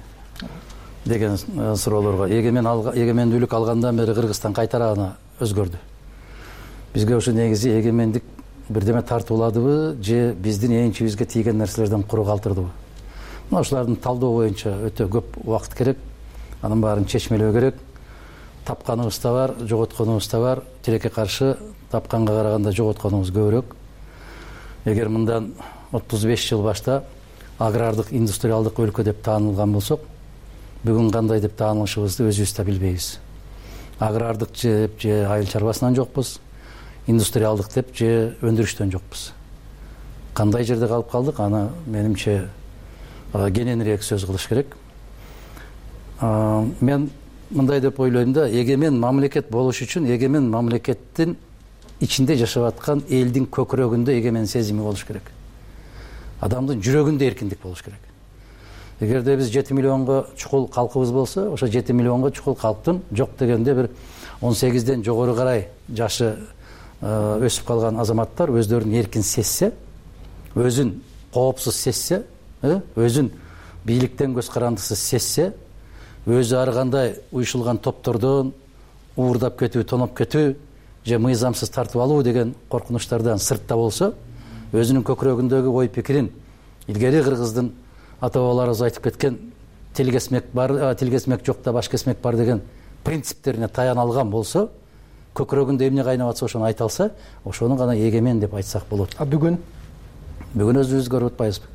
деген суроолорго. Эгемендүүлүк алгандан бери Кыргызстан кайтара гана өзгөрдү. Бизге ушу негизи эгемендик бирдеме тартууладыбы же биздин энчибизге тийген нерселерден куру калтырдыбы? Мына ушулардын талдоо боюнча өтө көп убакыт керек. Анын баарын чечмелөө керек. Тапканыбыз да бар, жоготконубуз да бар. Тилекке каршы тапканга караганда жоготконубуз көбүрөөк. Эгер мындан 35 жыл башта агрардык, индустриалдык өлкө деп таанылган болсок, бүгүн кандай деп таанылышыбызды өзүбүз да билбейбиз. Агрардык деп же айыл чарбасынан жокпуз, индустриалдык деп же өндүрүштөн жокпуз. Кандай жерде калып калдык, аны менимче кененирээк сөз кылыш керек. Мен мындай деп ойлойм да, эгемен мамлекет болуш үчүн эгемен мамлекеттин ичинде жашап аткан элдин көкүрөгүндө эгемен сезими болуш керек. Адамдын жүрөгүндө эркиндик болуш керек. Эгерде биз 7 миллионго чукул калкыбыз болсо, ошо 7 миллионго чукул калктын жок дегенде бир 18ден жогору карай жашы өсүп калган азаматтар өздөрүн эркин сезсе, өзүн коопсуз сезсе, өзүн бийликтен көз карандысыз сезсе, өзү ар кандай уюшулган топтордон уурдап кетүү, тоноп кетүү же мыйзамсыз тартып алуу деген коркунучтардан сыртта болсо, өзүнүн көкүрөгүндөгү ой пикирин илгери кыргыздын ата бабаларыбыз айтып кеткен тил кесмек бар, тил кесмек жок да баш кесмек бар деген принциптерине таяна алган болсо, көкүрөгүндө эмне кайнап атса ошону айта алса, ошону гана эгемен деп айтсак болот. Бүгүн өзүбүз көрүп атпайбызбы?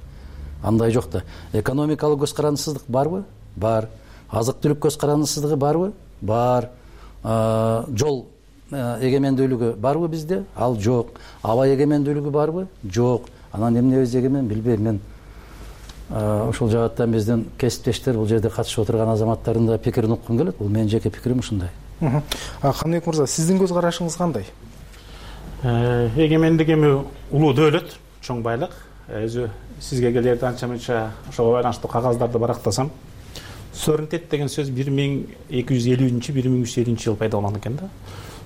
Андай жок да. Экономикалык көз карандысыздык барбы? Бар. Азык-түлүк көз карандысыздыгы барбы? Бар. Жол эгемендүүлүгү барбы бизде? Ал жок. Аба эгемендүүлүгү барбы? Жок. Анан эмнебиз эгемен билбейм мен. Ушул жааттан биздин кесиптештер, бул жерде катышып отурган азаматтардын да пикирин уккум келет. Бул менин жеке пикирим ушундай. Каныбек мырза, сиздин көз карашыңыз кандай? Эгемендик эми улуу дөөлөт, чоң байлык. Өзү сизге келерде анча мынча ошого байланыштуу кагаздарды барактасам, суверенитет деген сөз 1250-1350 жыл пайда болгон экен да.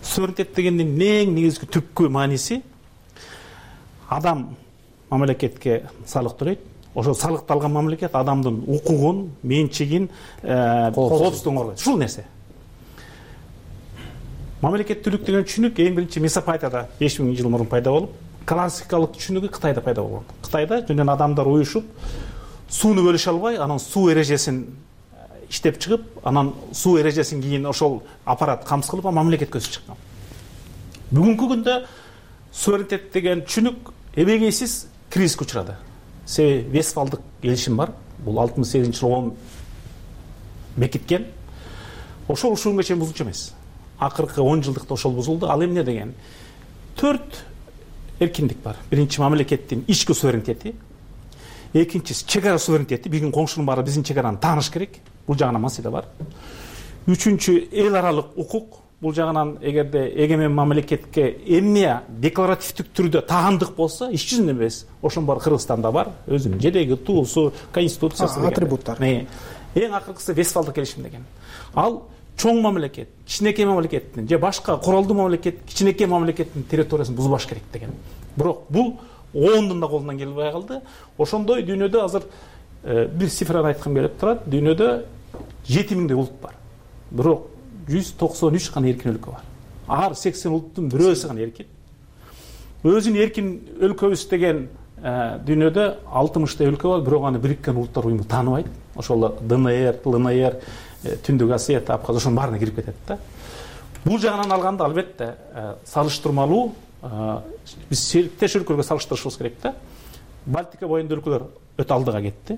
Суверенитет дегендин эң негизги түпкү мааниси адам мамлекетке салык төлөйт. Ошо салыкталган мамлекет адамдын укугун, менчигин, коопсуздугун коргойт. Ушул нерсе. Мамлекеттүүлүк деген түшүнүк эң биринчи Месопотамияда 5000 жыл мурун пайда болуп, классикалык түшүнүгү Кытайда пайда болгон. Кытайда жөнүнөн адамдар уюшуп, сууну бөлүшө албай, анан суу эрежесин иштеп чыгып, анан суу эрежесин кийин ошол аппарат камсыз кылып, мамлекетке өсүп чыккан. Бүгүнкү күндө суверенитет деген түшүнүк эбегейсиз кризиске учурады. Себеби Вестфалдык келишим бар. Бул 68-жылы бекиткен. Ошол ушуга чейин бузулчу эмес. Акыркы 10 жылдыкта ошол бузулду. Ал эмне деген? 4 эркиндик бар. Биринчи мамлекеттин ички суверенитети, экинчиси чек ара суверенитети, биздин коңшунун баары биздин чек араны тааныш керек, бул жагынан маселе бар. Үчүнчү эл аралык укук, бул жагынан эгерде эгемен мамлекетке эмне декларативдик түрдө таандык болсо, иш жүзүндө эмес, ошонун баары Кыргызстанда бар, өзүнүн желеги, туусу, конституциясы, атрибуттар. Эң акыркысы Вестфалдык келишим деген. Ал чоң мамлекет, кичинекей мамлекеттин же башка куралдуу мамлекет кичинекей мамлекеттин территориясын бузбаш керек деген. Бирок бул оондун да колунан келбей калды. Ошондой дүйнөдө азыр бир цифраны айткым келип турат. Дүйнөдө 7000 улут бар. Бирок 193 гана эркин өлкө бар. Ар 80 улуттун бирөөсү гана эркин. Өзүн эркин өлкөбүз деген дүйнөдө 60 өлкө бар, бирок аны Бириккен Улуттар уюму тааныбайт. Ошол ДНР, ЛНР, Түндүк Осетия, Абхазия ошонун баарына кирип кетет да. Бул жагынан алганда албетте салыштырмалуу биз сериктеш өлкөлөргө салыштырышыбыз керек да. Балтика боюндагы өлкөлөр өтө алдыга кетти.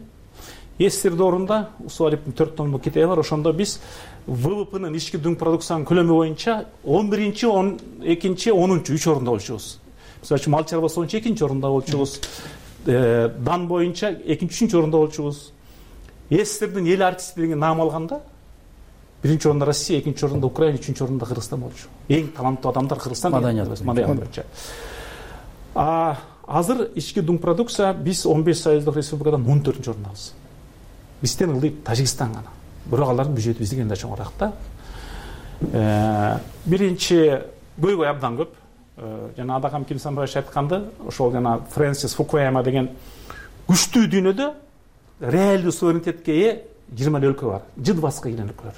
СССР доорунда Усуалиптин 4 томдук китеби бар. Ошондо биз ВВПнын ички дүң продукциянын көлөмү боюнча 11-чи, 12-чи, 10-чу 3 орунда болчубуз. Мисалы үчүн мал чарбасы боюнча 2-чи орунда болчубуз. Дан боюнча 2-3 орунда болчубуз. СССРдин эл артисти деген наам алганда 1-чи орунда Россия, 2-чи орунда Украина, 3-чи орунда Кыргызстан болчу. Эң таланттуу адамдар Кыргызстан маданият боюнча. Азыр ички дүң продукция биз 15 союздук республикадан 14-чү орундабыз. Бизден ылдый Тажикстан гана. Бирок алардын бюджети бизден да чоңураак да. Биринчи көйгөй абдан көп. Жана Адакам Кимсанбаевич айтканды, ошол жана Фрэнсис Фукуяма деген күчтүү дүйнөдө реалдуу суверенитетке ээ 20 өлкө бар. Жыдбаска келген өлкөлөр.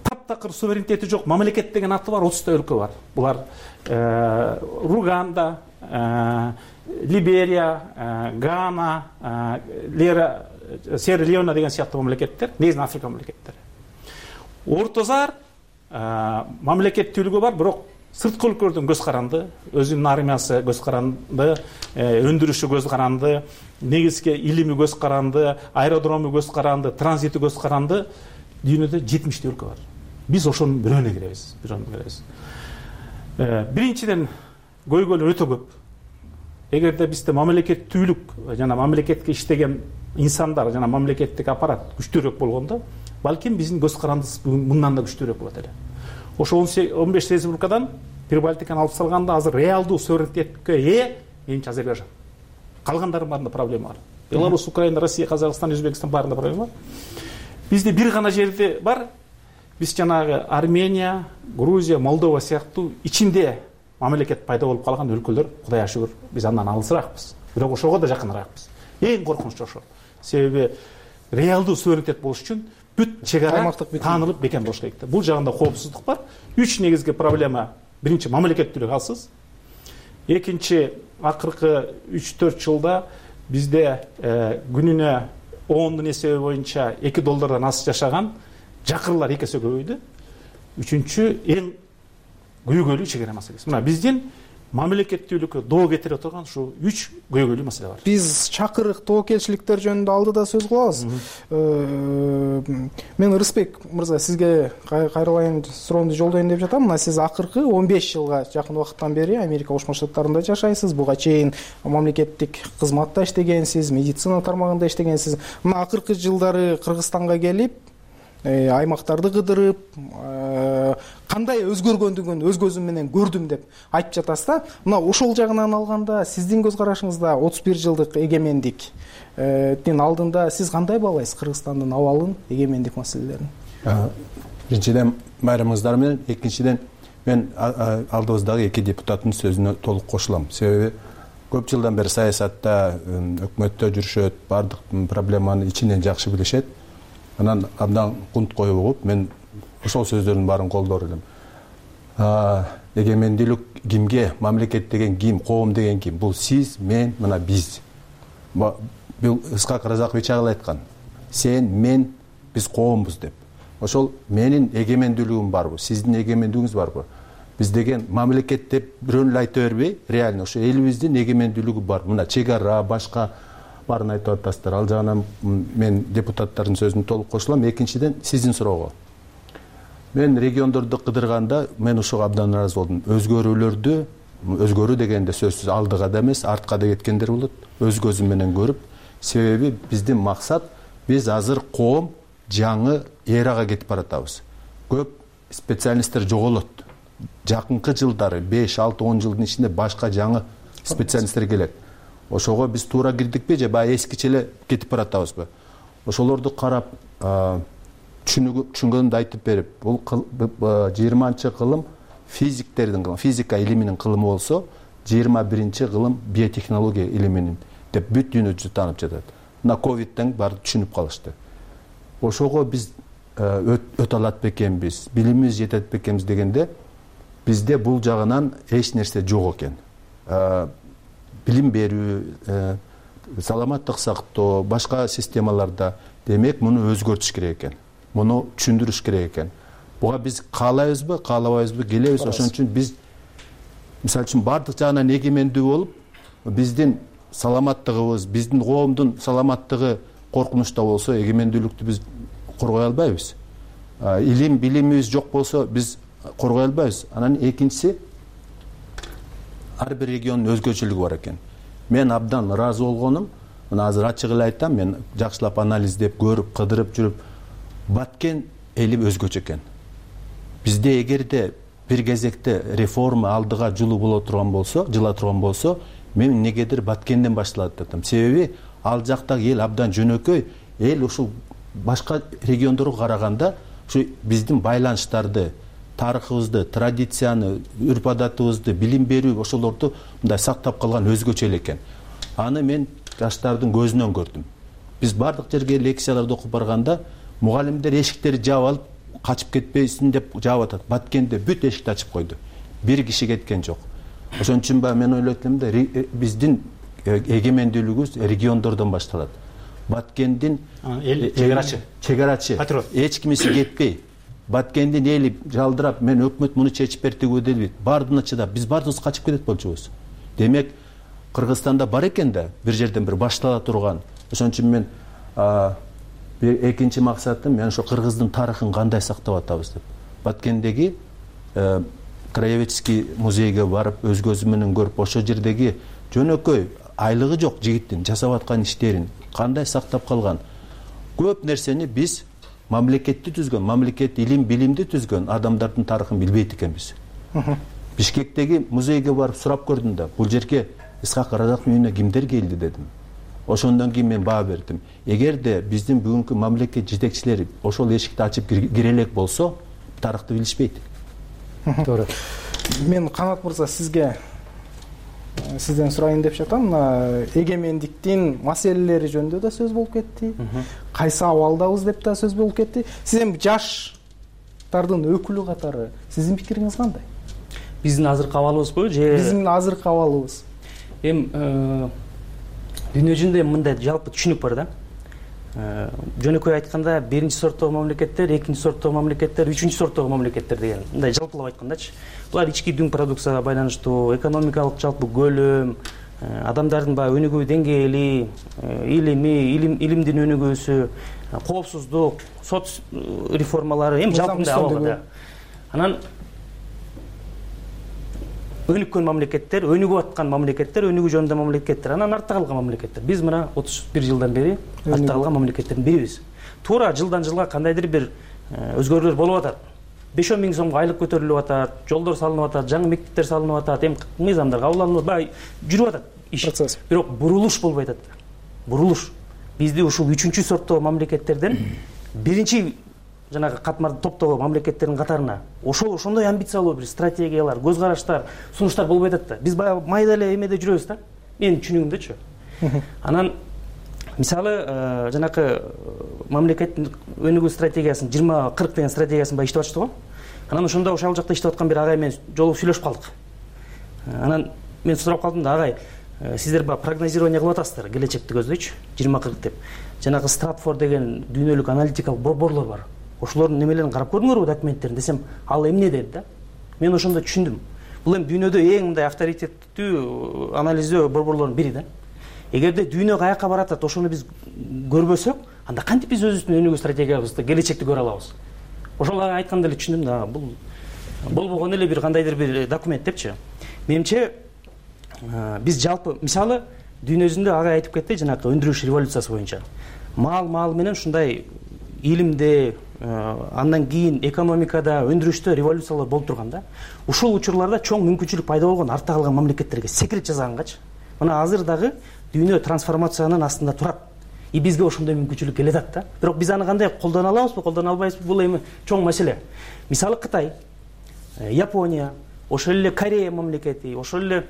Таптакыр суверенитети жок мамлекет деген аты бар 30 өлкө бар. Булар Руганда, Либерия, Гана, Сьерра Леоне деген сыяктуу мамлекеттер, негизинен Африка мамлекеттери. Ортозар мамлекеттүүлүгү бар, бирок сырткы өлкөлөрдөн көз каранды, өзүнүн армиясы көз каранды, өндүрүшү көз каранды, негизги илими көз каранды, аэродрому көз каранды, транзити көз каранды. Дүйнөдө 70 өлкө бар. Биз ошонун бирөөнө киребиз. Биринчиден көйгөйлөр өтө көп. Эгерде бизде мамлекеттүүлүк жана мамлекетке иштеген инсандар жана мамлекеттик аппарат күчтүүрөөк болгондо, балким биздин көз карандыбыз мындан да күчтүүрөөк болот эле. Ошо 15 республикадан Прибалтиканы алып салганда азыр реалдуу суверенитетке ээ менимче Азербайжан. Калгандардын баарында проблема бар. Беларусь, Украина, Россия, Казакстан, Өзбекстан баарында проблема бар. Бизде бир гана жерде бар. Биз жанагы Армения, Грузия, Молдова сыяктуу ичинде мамлекет пайда болуп калган өлкөлөр, Кудайга шүгүр, биз андан алысыраакпыз. Бирок ошого да жакыныраакпыз. Эң коркунучу ошо. Себеби реалдуу суверенитет болуш үчүн бүт чек ара таанылып бекем болуш керек. Бул жагында коопсуздук бар. 3 негизги проблема. Биринчи мамлекеттүүлүк алсыз. Экинчи акыркы 3-4 жылда бизде күнүнө оондун эсеби боюнча $2 аз жашаган жакырлар 2 эсе көбөйдү. Үчүнчү эң көйгөйлүү чек ара маселеси. Мына биздин мамлекеттүүлүккө доо кетире турган ушу 3 көйгөйлүү маселе бар. Биз чакырык тобокелчиликтер жөнүндө алдыда сөз кылабыз. Мен Рысбек мырза сизге кайрылайын суроону жолдоюн деп жатам. Мына сиз акыркы 15 жылга жакын убакыттан бери Америка Кошмо Штаттарында жашайсыз. Буга чейин мамлекеттик кызматта иштегенсиз, медицина тармагында иштегенсиз. Мына акыркы жылдары Кыргызстанга келип, аймактарды кыдырып, кандай өзгөргөндүгүн өз көзүм менен көрдүм деп айтып жатасыз да. Мына ошол жагынан алганда сиздин көз карашыңызда 31 жылдык эгемендиктин алдында сиз кандай баалайсыз Кыргызстандын абалын, эгемендик маселелерин? Биринчиден байрамыңыздар менен, экинчиден мен алдыбыздагы 2 депутаттын сөзүнө толук кошулам. Себеби көп жылдан бери саясатта, өкмөттө жүрүшөт, бардык проблеманы ичинен жакшы билишет. Анан абдан кунт коюп угуп, мен ошол сөздөрдүн баарын колдор элем. Эгемендүүлүк кимге, мамлекет деген ким, коом деген ким? Бул сиз, мен, мына биз. Бул Ысқақ Разақович агыл айткан. Сен, мен, биз коомбуз деп. Ошол менин эгемендүүлүгүм барбы, сиздин эгемендүүлүгүңүз барбы? Биз деген мамлекет деп бирөөнү айта бербей, реально ошо элибиздин эгемендүүлүгү бар. Мына чек ара, башка барын айтып атасыздар. Ал жагынан мен депутаттардын сөзүнө толук кошулам. Экинчиден сиздин суроого. Мен региондорду кыдырганда мен ошого абдан ыраазы болдум. Өзгөрүү дегенде сөзсүз алдыга да эмес, артка да кеткендер болот. Өз көзүм менен көрүп, себеби биздин максат биз азыр коом жаңы эрага кетип баратабыз. Көп специалисттер жоголот. Жакынкы жылдары 5-6-10 жылдын ичинде башка жаңы специалисттер келет. Ошого биз туура кирдикпи же баягы эскиче эле кетип баратабызбы? Ошолорду карап түшүнгөнүмдү айтып берип, бул 20-кылым физиктердин кылымы, физика илиминин кылымы болсо, 21-кылым биотехнология илиминин деп бүт дүйнө жүзү таанып жатат. Мына ковидтен баары түшүнүп калышты. Ошого биз өтө алат бекенбиз, билимибиз жетет бекенбиз дегенде бизде бул жагынан эч нерсе жок экен. Билим берүү, саламаттык сактоо, башка системаларда демек муну өзгөртүш керек экен. Муну түшүндүрүш керек экен. Буга биз каалайбызбы, каалабайбызбы, келебиз. Ошон үчүн биз мисалы үчүн бардык жагынан эгемендүү болуп, биздин саламаттыгыбыз, биздин коомдун саламаттыгы коркунучта болсо, эгемендүүлүктү биз коргой албайбыз. Илим, билимибиз жок болсо, биз коргой албайбыз. Анан экинчиси, ар бир региондун өзгөчөлүгү бар экен. Мен абдан ыраазы болгонум, мына азыр ачык эле айтам, мен жакшылап анализдеп, көрүп, кыдырып жүрүп, Баткен эли өзгөчө экен. Бизде эгерде бир кезекте реформа алдыга жылуу боло турган болсо, жыла турган болсо, мен эмнегедир Баткенден башталат деп атам. Себеби ал жактагы эл абдан жөнөкөй, эл ушул башка региондорго караганда ушу биздин байланыштарды, тарыхыбызды, традицияны, үрп-адатыбызды, билим берүү ошолорду мындай сактап калган өзгөчө эле экен. Аны мен жаштардын көзүнөн көрдүм. Биз бардык жерге лекцияларды окуп барганда мугалимдер эшиктерди жаап алып, качып кетпейсиң деп жаап атат. Баткенде бүт эшикти ачып койду. Бир киши кеткен жок. Ошон үчүн мен ойлойт элем да, биздин эгемендүүлүгүбүз региондордон башталат. Баткендин чегарачы, эч кимиси кетпей, Баткендин эли жалдырап, мен өкмөт муну чечип берди дейт. Бардына чыдап, биз бардыбыз качып кетет болчубуз. Демек, Кыргызстанда бар экен да, бир жерден бир баштала турган. Ошон үчүн мен экинчи максатым, мен ошо Кыргыздын тарыхын кандай сактап атабыз деп. Баткендеги краеведческий музейге барып, өз көзүм менен көрүп, ошо жердеги жөнөкөй айлыгы жок жигиттин жасап аткан иштерин кандай сактап калган. Көп нерсени биз мамлекетти түзгөн, мамлекет илим, билимди түзгөн адамдардын тарыхын билбейт экенбиз. Бишкектеги музейге барып сурап көрдүм да, бул жерге Исхак Разаковдун үйүнө кимдер келди дедим. Ошондон кийин мен баа бердим. Эгерде биздин бүгүнкү мамлекет жетекчилери ошол эшикти ачып кире элек болсо, тарыхты билишпейт. Туура. Мен Канат мырза сизден сурайын деп жатам. Эгемендиктин маселелери жөнүндө да сөз болуп кетти. Кайсы абалдабыз деп да сөз болуп кетти. Сиз эми жаштардын өкүлү катары сиздин пикириңиз кандай? Биздин азыркы абалыбызбы же? Биздин азыркы абалыбыз. Эми дүйнө жүзүндө мындай жалпы түшүнүк бар да. Жөнөкөй айтканда биринчи сорттогу мамлекеттер, экинчи сорттогу мамлекеттер, үчүнчү сорттогу мамлекеттер деген мындай жалпылап айткандачы. Булар ички дүң продукцияга байланыштуу, экономикалык жалпы көлөм, адамдардын баягы өнүгүү деңгээли, илимдин өнүгүүсү, коопсуздук, сот реформалары эми жалпы мындай абал да. Анан өнүккөн мамлекеттер, өнүгүп аткан мамлекеттер, өнүгүү жөнүндө мамлекеттер, анан артта калган мамлекеттер. Биз мына 31 жылдан бери артта калган мамлекеттердин бирибиз. Туура жылдан жылга кандайдыр бир өзгөрүүлөр болуп атат. 5-10 миң сомго айлык көтөрүлүп атат, жолдор салынып атат, жаңы мектептер салынып атат, эми мыйзамдар кабылданып бай жүрүп атат иш. Бирок бурулуш болбой атат. Бурулуш. Бизди ушул 3-чү сорттогу мамлекеттерден биринчи жанагы катмар топтогу мамлекеттердин катарына ошондой амбициялуу бир стратегиялар, көз караштар, сунуштар болбой атат да. Биз баягы майда эле эмеде жүрөбүз да. Менин түшүнүгүмдөчү. Анан мисалы жанакы мамлекеттин өнүгүү стратегиясын 20-40 деген стратегиясын баягы иштеп атышты го. Анан ошондо ошол жакта иштеп аткан бир агай менен жолугуп сүйлөшүп калдык. Анан мен сурап калдым да, агай, сиздер баягы прогнозирование кылып атасыздар, келечекти көздөйчү, 20-40 деп. Жанагы Стратфорд деген дүйнөлүк аналитикалык борборлор бар. Ошолордун немелерин карап көрдүңөрбү, документтерин десем, ал эмне деді да. Мен ошондо түшүндүм. Бул эми дүйнөдө эң мындай авторитеттүү анализдөө борборлордун бири да. Эгерде дүйнө каяка баратат, ошону биз көрбөсөк, анда кантип биз өзүбүздүн өнүгүү стратегиябызды, келечекти көрө алабыз? Ошол айтканда эле түшүндүм да, бул болбогон эле бир кандайдыр бир документ депчи. Менимче биз жалпы мисалы дүйнө жүзүндө ага айтып кетти жанакы өндүрүш революциясы боюнча маал менен ушундай илимде андан кийин экономикада өндүрүштө революциялар болуп турганда ушул учурларда чоң мүмкүнчүлүк пайда болгон артта калган мамлекеттерге секрет жасагангачы мына азыр дагы дүйнө трансформациянын астында турат и бизге ошондой мүмкүнчүлүк келе атат да. Бирок биз аны кандай колдоно алабызбы, колдоно албайбызбы, бул эми чоң маселе. Мисалы Кытай, Япония, ошол эле Корея мамлекети, ошол эле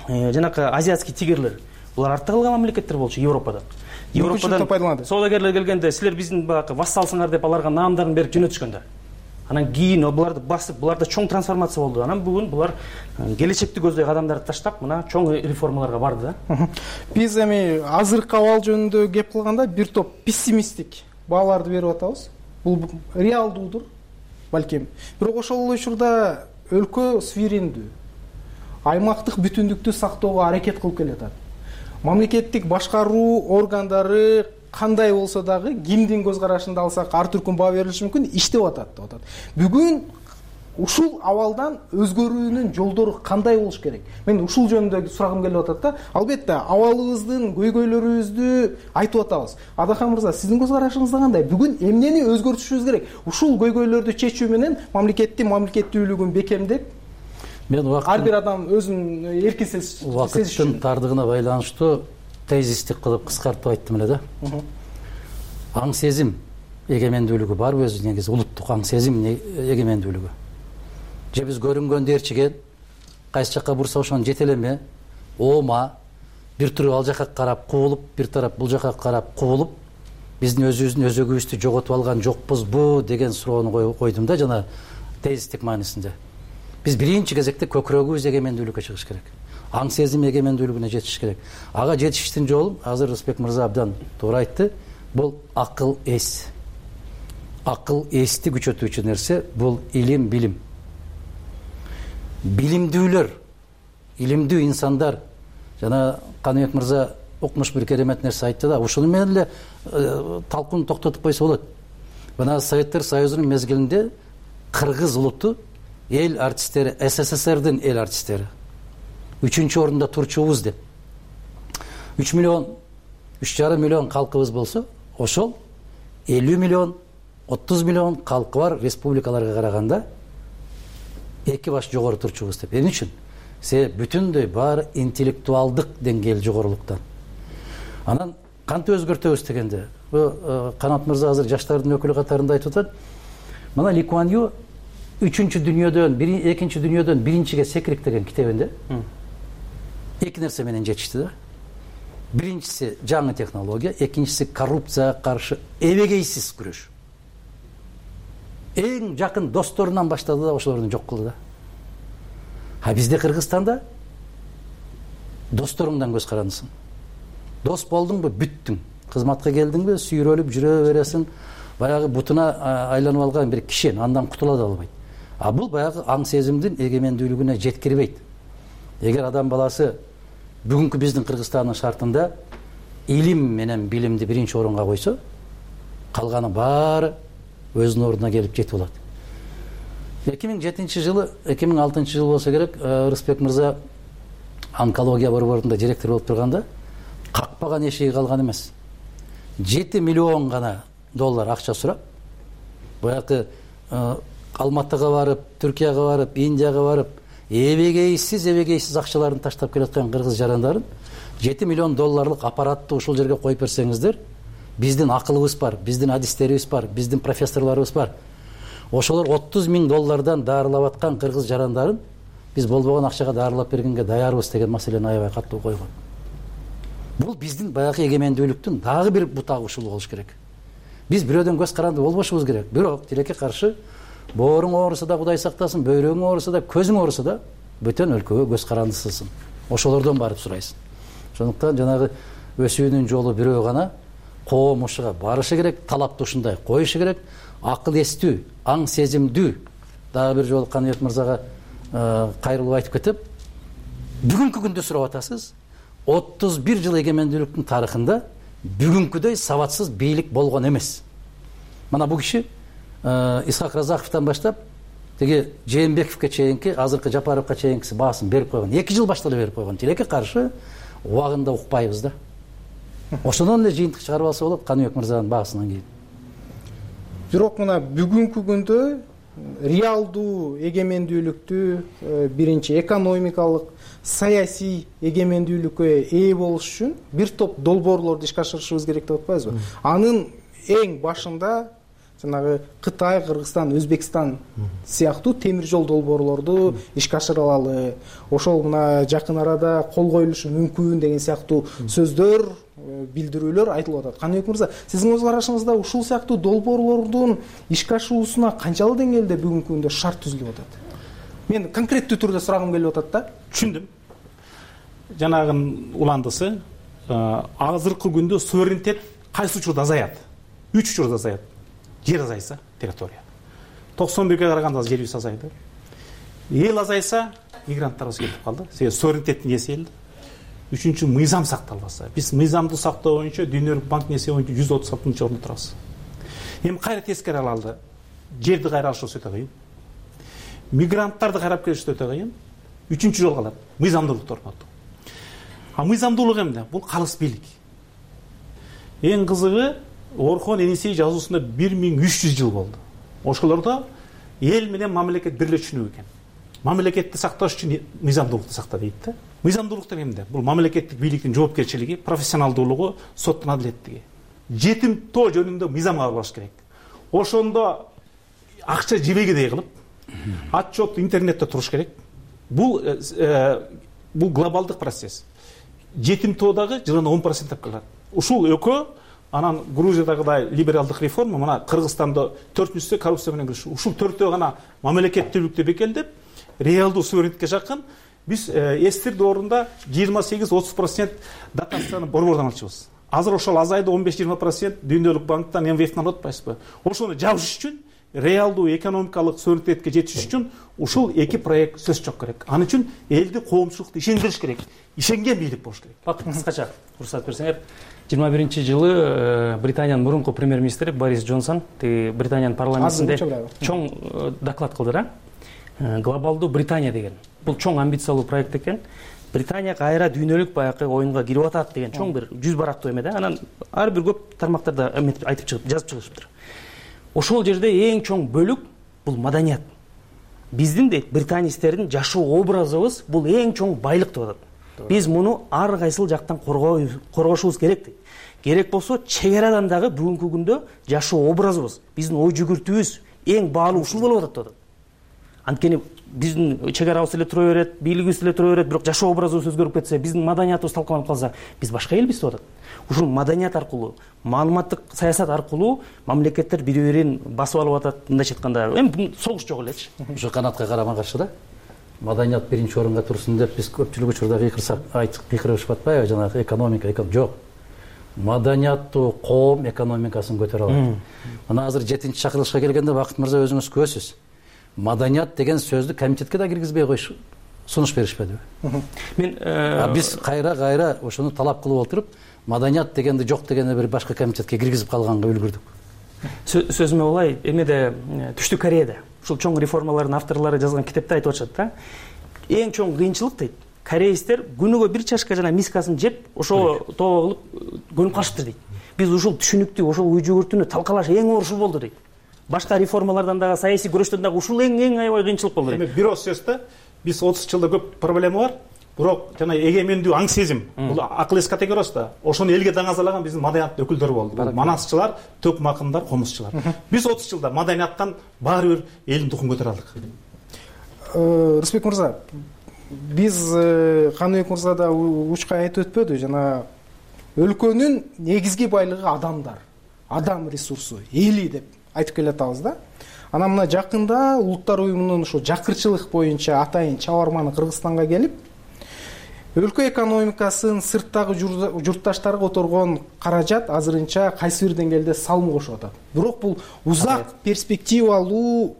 жанакы азиатский тигрлер, булар артта калган мамлекеттер болчу Европадан. Европадан соодагерлер келгенде силер биздин баягы вассалсыңар деп аларга наамдарын берип жөнөтүшкөндө. Анан кийин буларды басып, буларда чоң трансформация болду. Анан бүгүн булар келечекти көздөй кадамдарды таштап, мына чоң реформаларга барды да. Биз эми азыркы абал жөнүндө кеп кылганда бир топ пессимисттик бааларды берип атабыз. Бул реалдуудур балким. Бирок ошол эле учурда өлкө суверендүү, аймактык бүтүндүктү сактоого аракет кылып келатат. Мамлекеттик башкаруу органдары кандай болсо дагы кимдин көз карашында алсак ар түркүн баа берилиши мүмкүн, иштеп атат деп атат. Бүгүн ушул абалдан өзгөрүүнүн жолдору кандай болуш керек? Мен ушул жөнүндө сурагым келип атат да. Албетте абалыбыздын көйгөйлөрүбүздү айтып атабыз. Адахан мырза, сиздин көз карашыңызда кандай? Бүгүн эмнени өзгөртүшүбүз керек? Ушул көйгөйлөрдү чечүү менен мамлекеттүүлүгүн бекемдеп, мен ар бир адам өзүн эркин сезиши. Убакыттын тардыгына байланыштуу тезистик кылып кыскартып айттым эле да. Аң сезим эгемендүүлүгү барбы өзү негизи улуттук аң сезим эгемендүүлүгү. Же биз көрүнгөндү ээрчиген, кайсы жакка бурса ошону жетелеме, оома, бир туруп ал жакка карап кубулуп, бир тарап бул жакка карап кубулуп, биздин өзүбүздүн өзөгүбүздү жоготуп алган жокпузбу деген суроону койдум да жана тезистик маанисинде. Биз биринчи кезекте көкүрөгүбүз эгемендүүлүккө чыгыш керек. Аң сезим эгемендүүлүгүнө жетиш керек. Ага жетиштин жолу азыр Рысбек мырза абдан туура айтты. Бул акыл эс. Акыл эсти күчөтүүчү нерсе бул илим, билим. Билимдүүлөр, илимдүү инсандар, жана Каныбек мырза укмуш бир керемет нерсе айтты да, ушуну менен эле талкууну токтотуп койсо болот. Мына Советтер Союзунун мезгилинде кыргыз улуту эл артисттери, СССРдин эл артисттери 3-чү орунда турчубуз деп 3,5 миллион калкыбыз болсо, ошол 50 миллион, 30 миллион калкы бар республикаларга караганда 2 баш жогору турчубуз деп. Эмне үчүн? Себеби бүтүндөй баары интеллектуалдык деңгээл жогорулуктан. Анан кантип өзгөртөбүз дегенде, Канат мырза азыр жаштардын өкүлү катарында айтып атат. Мына Ли Куан Ю 3-чү дүйнөдөн, 2-чи дүйнөдөн 1-чиге секирик деген китебинде 2 нерсе менен жетишти да. Биринчиси жаңы технология, экинчиси коррупцияга каршы эбегейсиз күрөш. Эң жакын досторунан баштады да ошолорду жок кылды да. А бизде Кыргызстанда досторуңдан көз карандысың. Дос болдуңбу, бүттүң. Кызматка келдиңби, сүйрөлүп жүрө бересиң. Баягы бутуна айланып алган бир кишен андан кутула да албайт. А бул баягы аң сезимдин эгемендүүлүгүнө жеткирбейт. Эгер адам баласы бүгүнкү биздин Кыргызстандын шартында илим менен билимди биринчи орунга койсо, калганы баары өзүнүн ордуна келип жетип алат. 2007 жылы, 2006 жыл болсо керек, Рысбек мырза онкология борборунда директор болуп турганда какпаган эшиги калган эмес. 7 миллион гана доллар акча сурап, баягы Алматыга барып, Түркияга барып, Индияга барып, эбегейсиз акчаларын таштап келаткан кыргыз жарандарын 7 миллион долларлык аппаратты ушул жерге коюп берсеңиздер, биздин акылыбыз бар, биздин адистерибиз бар, биздин профессорлорубуз бар. Ошолор 30 000 доллардан даарылап аткан кыргыз жарандарын биз болбогон акчага даарылап бергенге даярбыз деген маселени аябай катуу койгон. Бул биздин баягы эгемендүүлүктүн дагы бир бутагы ушул болуш керек. Биз бирөөдөн көз каранды болбошубуз керек. Бирок тилекке каршы бооруң ооруса да Кудай сактасын, бөйрөгүң ооруса да, көзүң ооруса да бөтөн өлкөгө көз карандысысың. Ошолордон барып сурайсың. Ошондуктан жанагы өсүүнүн жолу бирөө гана, коом ушуга барышы керек, талапты ушундай коюшу керек. Акыл эстүү, аң сезимдүү. Дагы бир жолу Каныбек мырзага кайрылып айтып кетип, бүгүнкү күндө сурап атасыз, 31 жыл эгемендүүлүктүн тарыхында бүгүнкүдөй сабатсыз бийлик болгон эмес. Мына бул киши Исхак Разаковтан баштап, теги Жээнбековке чейинки, азыркы Жапаровго чейинкиси баасын берип койгон. 2 жыл башта эле берип койгон. Тилекке каршы убагында укпайбыз да. Ошондон эле жыйынтык чыгарып алса болот Каныбек мырзанын баасынан кийин. Бирок мына бүгүнкү күндө реалдуу эгемендүүлүктү, биринчи экономикалык, саясий эгемендүүлүккө ээ болуш үчүн бир топ долбоорлорду ишке ашырышыбыз керек деп атпайбызбы? Анын эң башында жанагы Кытай, Кыргызстан, Өзбекстан сыяктуу темир жол долбоорлорду ишке ашыра алалы. Ошол мына жакын арада кол коюлушу мүмкүн деген сыяктуу сөздөр, билдирүүлөр айтылып атат. Каныбек мырза, сиздин көз карашыңызда ушул сыяктуу долбоорлордун ишке ашуусуна канчалык деңгээлде бүгүнкү күндө шарт түзүлүп атат? Мен конкреттүү түрдө сурагым келип атат да. Түшүндүм. Жанагынын уландысы, азыркы күндө суверенитет кайсы учурда азаят? 3 учурда азаят. Жер азайса, территория. 91-ге караганда жерибиз азайды. Эл азайса, мигранттарыбыз кетип калды. Себеби суверенитеттин ээси эл. Үчүнчү, мыйзам сакталбаса. Биз мыйзамды сактоо боюнча Дүйнөлүк банктын эсеби боюнча 136-орунда турабыз. Эми кайра тескери алалы. Жерди кайра алыш өтө кыйын. Мигранттарды кайрап келиш өтө кыйын. Үчүнчү жол калат. Мыйзамдуулукту орнотуу. Мыйзамдуулук эмне? Бул калыс бийлик. Эң кызыгы, Орхон Енисей жазуусунда 1300 жыл болду. Ошолордо эл менен мамлекет бир эле түшүнүк экен. Мамлекетти сакташ үчүн мыйзамдуулукту сакта дейт да. Мыйзамдуулук деген эмне? Бул мамлекеттик бийликтин жоопкерчилиги, профессионалдуулугу, соттун адилеттиги. Жетим тоо жөнүндө мыйзам кабылдаш керек. Ошондо акча жебегидей кылып, отчет интернетте туруш керек. Бул глобалдык процесс. Жетим тоодагы жылына 10% калат. Ушул экөө анан Грузиядагыдай либералдык реформа, мына Кыргызстанда 4-нчүсү коррупция менен күрөш. Ушул төртөө гана мамлекеттүүлүктү бекемдеп, реалдуу суверенитетке жакын биз эстир доорунда 28-30% дотацияны борбордон алчубыз. Азыр ошол азайды 15-20% Дүйнөлүк банктан, МВФтен алып атпайсызбы? Ошону жабыш үчүн, реалдуу экономикалык суверенитетке жетиш үчүн ушул эки проект сөз жок керек. Аны үчүн элди, коомчулукту ишендириш керек. Ишенген бийлик болуш керек. Кыскача уруксат берсеңер, 21-жылы Британиянын мурунку премьер-министри Борис Джонсон Британиянын парламентинде чоң доклад кылды да. Глобалдуу Британия деген. Бул чоң амбициялуу проект экен. Британия кайра дүйнөлүк баягы оюнга кирип атат деген чоң бир 100 барактуу эме да. Анан ар бир көп тармактарда айтып чыгып, жазып чыгышыптыр. Ошол жерде эң чоң бөлүк бул маданият. Биздин дейт британецтердин жашоо образыбыз бул эң чоң байлык деп атат. Биз муну ар кайсыл жактан коргошубуз керек дейт. Керек болсо чегарадан дагы бүгүнкү күндө жашоо образыбыз, биздин ой жүгүртүүбүз эң баалуу ушул болуп атат деп атат. Анткени биздин чегарабыз эле тура берет, бийлигибиз эле тура берет, бирок жашоо образыбыз өзгөрүп кетсе, биздин маданиятыбыз талкаланып калса, биз башка элбиз деп атат. Ушул маданият аркылуу, маалыматтык саясат аркылуу мамлекеттер бири-бирин басып алып атат, мындайча айтканда, эми согуш жок элечи. Ушу канатка карама каршы да. Маданият биринчи орунга турсун деп биз көпчүлүк учурда кыйкырышып атпайбы, жанагы экономика жок. Маданияттуу коом экономикасын көтөрө алат. Мына азыр 7-чакырылышка келгенде Бакыт мырза өзүңүз көрөсүз. Маданият деген сөздү комитетке да киргизбей коюш сунуш беришпедиби? Мен биз кайра ошону талап кылып отуруп, маданият дегенди жок дегенде бир башка комитетке киргизип калганга үлгүрдүк. Сөзүмө улай, эмеде Түштүк Кореяда ушул чоң реформалардын авторлору жазган китепте айтып атышат да. Эң чоң кыйынчылык дейт. Корейстер күнүгө бир чашка жана мискасын жеп, ошо тоого кылып көнүп калышыптыр дейт. Биз ушул түшүнүктү, ошол ой жүгүртүүнү талкалаш эң оор ушул болду дейт. Башка реформалардан дагы, саясий күрөштөн дагы ушул эң аябай кыйынчылык болду дейт. Эми бир ооз сөз да, биз 30 жылда көп проблема бар. Бирок жана эгемендүү аң сезим, бул акыл эс категориясы да. Ошону элге даңазалаган биздин маданияттын өкүлдөрү болду. Бул манасчылар, төк макындар, комузчулар. Биз 30 жылда маданияттан баары бир элдин духун көтөрө алдык. Рысбек мырза, биз Каныбек мырза да учка айтып өтпөдү, жана өлкөнүн негизги байлыгы адамдар, адам ресурсу, эли деп айтып келатабыз да. Анан мына жакында Улуттар уюмунун ошо жакырчылык боюнча атайын чабарманы Кыргызстанга келип, өлкө экономикасын сырттагы журтташтарга которгон каражат азырынча кайсы бир деңгээлде салым кошуп атат. Бирок бул узак перспективалуу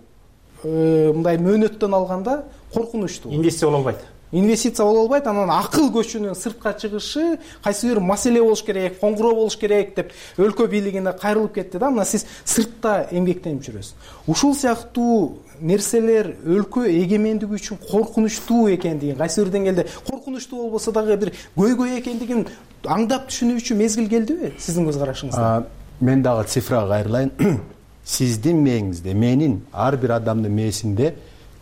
мындай мөөнөттөн алганда коркунучтуу. Инвестиция боло албайт. Инвестиция боло албайт, анан акыл көчүнүн сыртка чыгышы кайсы бир маселе болуш керек, коңгуроо болуш керек деп өлкө бийлигине кайрылып кетти да. Мына сиз сыртта эмгектенип жүрөсүз. Ушул сыяктуу нерселер өлкө эгемендиги үчүн коркунучтуу экендигин, кайсы бир деңгээлде коркунучтуу болбосо дагы бир көйгөй экендигин аңдап түшүнүүчү мезгил келдиби сиздин көз карашыңызда? Мен дагы цифрага кайрылайын. Сиздин мээңизде, менин ар бир адамдын мээсинде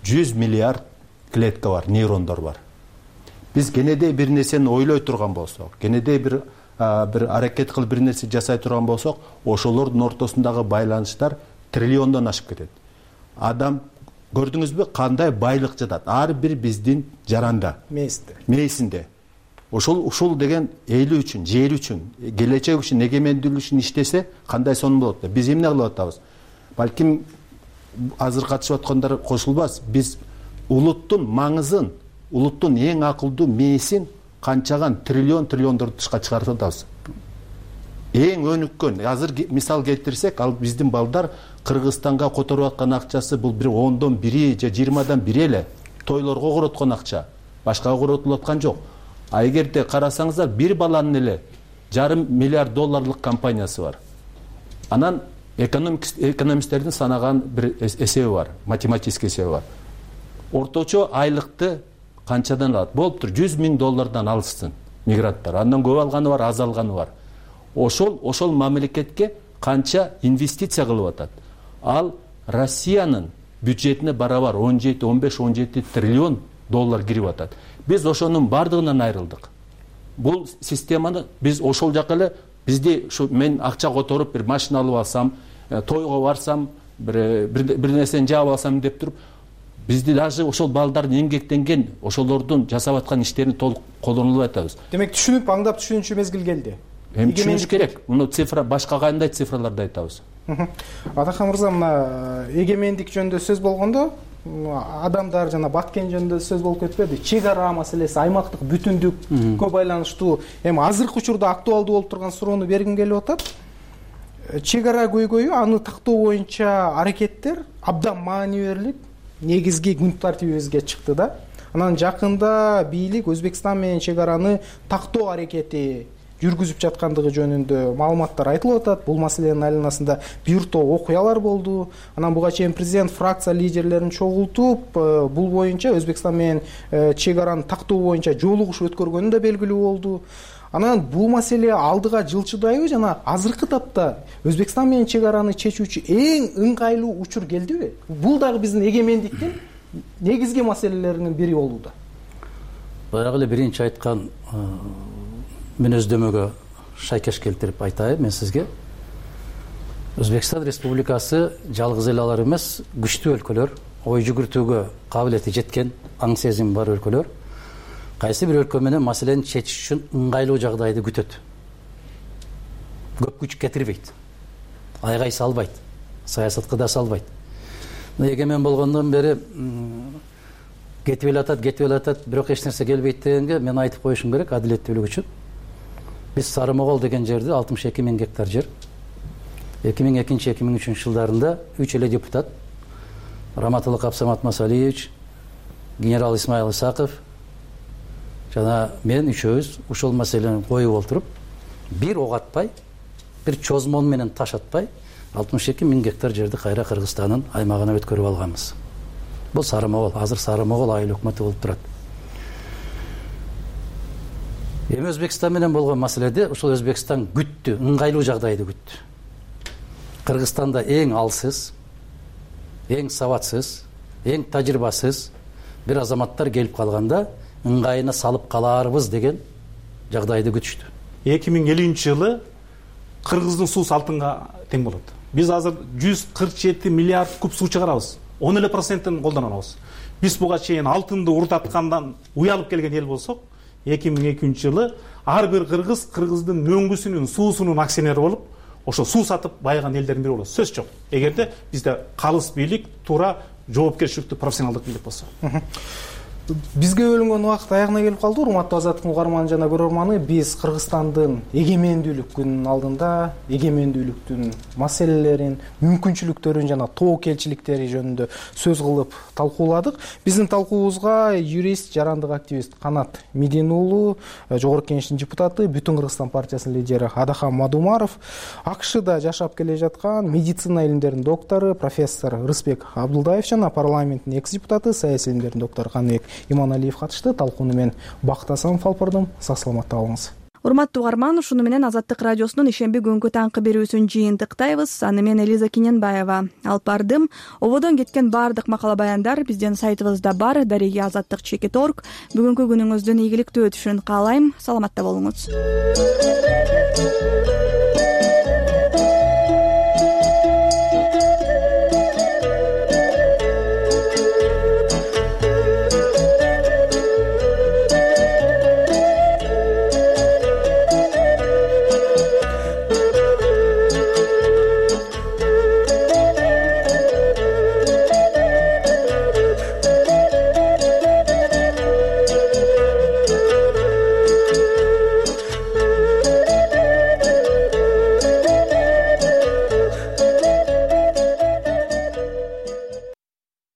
100 миллиард клетка бар, нейрондор бар. Биз кенедей бир нерсени ойлой турган болсок, кенедей бир аракет кылып бир нерсе жасай турган болсок, ошолордун ортосундагы байланыштар триллиондон ашып кетет. Адам көрдүңүзбү кандай байлык жатат? Ар бир биздин жаранда, мээсинде. Ушул деген эли үчүн, жери үчүн, келечек үчүн, эгемендүүлүк үчүн иштесе кандай сонун болот да? Биз эмне кылып атабыз? Балким азыр катышып аткандар кошулбас. Биз улуттун маңызын, улуттун эң акылдуу мээсин канчаган триллиондорду тышка чыгарып атабыз. Эң өнүккөн, азыр мисал келтирсек, ал биздин балдар Кыргызстанга которуп аткан акчасы бул бир 10дон 1 же 20дан 1 эле. Тойлорго короткон акча, башкага коротулуп аткан жок. А эгерде карасаңыздар, бир баланын эле $500 миллиард компаниясы бар. Анан экономисттердин санаган бир эсеби бар, математический эсеби бар. Орточо айлыкты канчадан алат? Болуптур, $100 000 алышсын мигранттар. Андан көп алганы бар, аз алганы бар. Ошол мамлекетке канча инвестиция кылып атат? Ал Россиянын бюджетине барабар 15-17 триллион доллар кирип атат. Биз ошонун бардыгынан айрылдык. Бул системаны биз ошол жака эле, бизди мен акча которуп бир машина алып алсам, тойго барсам, бир нерсени жаап алсам деп туруп, бизди даже ошол балдардын эмгектенген, ошолордун жасап аткан иштерин толук колдонулбай атабыз. Демек түшүнүп, аңдап түшүнүүчү мезгил келди. Эми түшүнүш керек. Муну цифра башка кандай цифраларды айтабыз? Атакан мырза, мына эгемендик жөнүндө сөз болгондо, адамдар жана баткен жөнүндө сөз болуп кетпеди? Чек ара маселеси, аймактык бүтүндүккө байланыштуу эми азыркы учурда актуалдуу болуп турган суроону бергим келип атат. Чек ара көйгөйү, аны тактоо боюнча аракеттер абдан маани берилип, негизги күн тартибибизге чыкты да. Анан жакында бийлик Өзбекстан менен чек араны тактоо аракети жүргүзүп жаткандыгы жөнүндө маалыматтар айтылып атат. Бул маселенин айланасында бир топ окуялар болду. Анан буга чейин президент фракция лидерлерин чогултуп, бул боюнча Өзбекстан менен чек араны тактоо боюнча жолугуш өткөргөнү да белгилүү болду. Анан бул маселе алдыга жылчыдайбы жана азыркы тапта Өзбекстан менен чек араны чечүүчү эң ыңгайлуу учур келдиби? Бул дагы биздин эгемендиктин негизги маселелеринин бири болууда. Баягы эле биринчи айткан мүнөздөмөгө шайкеш келтирип айтайын мен сизге. Өзбекстан Республикасы жалгыз эле алар эмес, күчтүү өлкөлөр, ой жүгүртүүгө кабилети жеткен, аң сезим бар өлкөлөр кайсы бир өлкө менен маселени чечиш үчүн ыңгайлуу жагдайды күтөт. Көп күч кетирбейт, айгай салбайт, саясатка да салбайт. Эгемен болгондон бери кетип эле атат, бирок эч нерсе келбейт дегенге мен айтып коюшум керек адилеттүүлүк үчүн. Биз Сары Могол деген жерде 62 000 гектар жер 2002-2003 жылдарында 3 эле депутат Раматылык Абсамат Масалиевич, генерал Исмаил Исаков жана мен үчөөбүз ушул маселени коюп олтуруп, бир ок атпай, бир чозмон менен таш атпай 62 000 гектар жерди кайра Кыргызстандын аймагына өткөрүп алганбыз. Бул Сары Могол, азыр Сары Могол айыл өкмөтү болуп турат. Эми Өзбекстан менен болгон маселеде ушул Өзбекстан күттү, ыңгайлуу жагдайды күттү. Кыргызстанда эң алсыз, эң сабатсыз, эң тажрыйбасыз бир азаматтар келип калганда ыңгайына салып калаарбыз деген жагдайды күтүштү. 2050 жылы Кыргыздын суусу алтынга тең болот. Биз азыр 147 миллиард куб суу чыгарабыз. 10% колдонобуз. Биз буга чейин алтынды урдаткандан уялып келген эл болсок, 2002 жылы ар бир кыргыздын мөңгүсүнүн, суусунун акционери болуп, ошо суу сатып байыган элдердин бири болот. Сөз жок. Эгерде бизде калыс бийлик, туура жоопкерчиликтүү профессионалдык бийлик болсо. бизге бөлүнгөн убакыт аягына келип калды. Урматтуу Азаттыктын угарманы жана көрөрманы, биз Кыргызстандын эгемендүүлүк күнүнүн алдында эгемендүүлүктүн маселелерин, мүмкүнчүлүктөрүн жана тобокелчиликтери жөнүндө сөз кылып талкууладык. Биздин талкуубузга юрист, жарандык активист Канат Медин уулу, Жогорку Кеңештин депутаты, Бүтүн Кыргызстан партиясынын лидери Адахан Мадумаров, АКШда жашап келе жаткан медицина илимдеринин доктору профессор Рысбек Абдулдаев жана парламенттин экс депутаты, саясий илимдердин доктору Каныбек Иманалиев катышты. Талкууну мен Бактасам алып сак саламатта болуңуз. Урматтуу угарман, ушуну менен Азаттык радиосунун ишемби күнгү таңкы берүүсүн жыйынтыктайбыз. Аны мен Элиза Киненбаева алып бардым. Ободон кеткен баардык макала баяндар биздин сайтыбызда бар. Дареги Азаттык.org. Бүгүнкү күнүңүздүн ийгиликтүү өтүшүн каалайм. Саламатта болуңуз.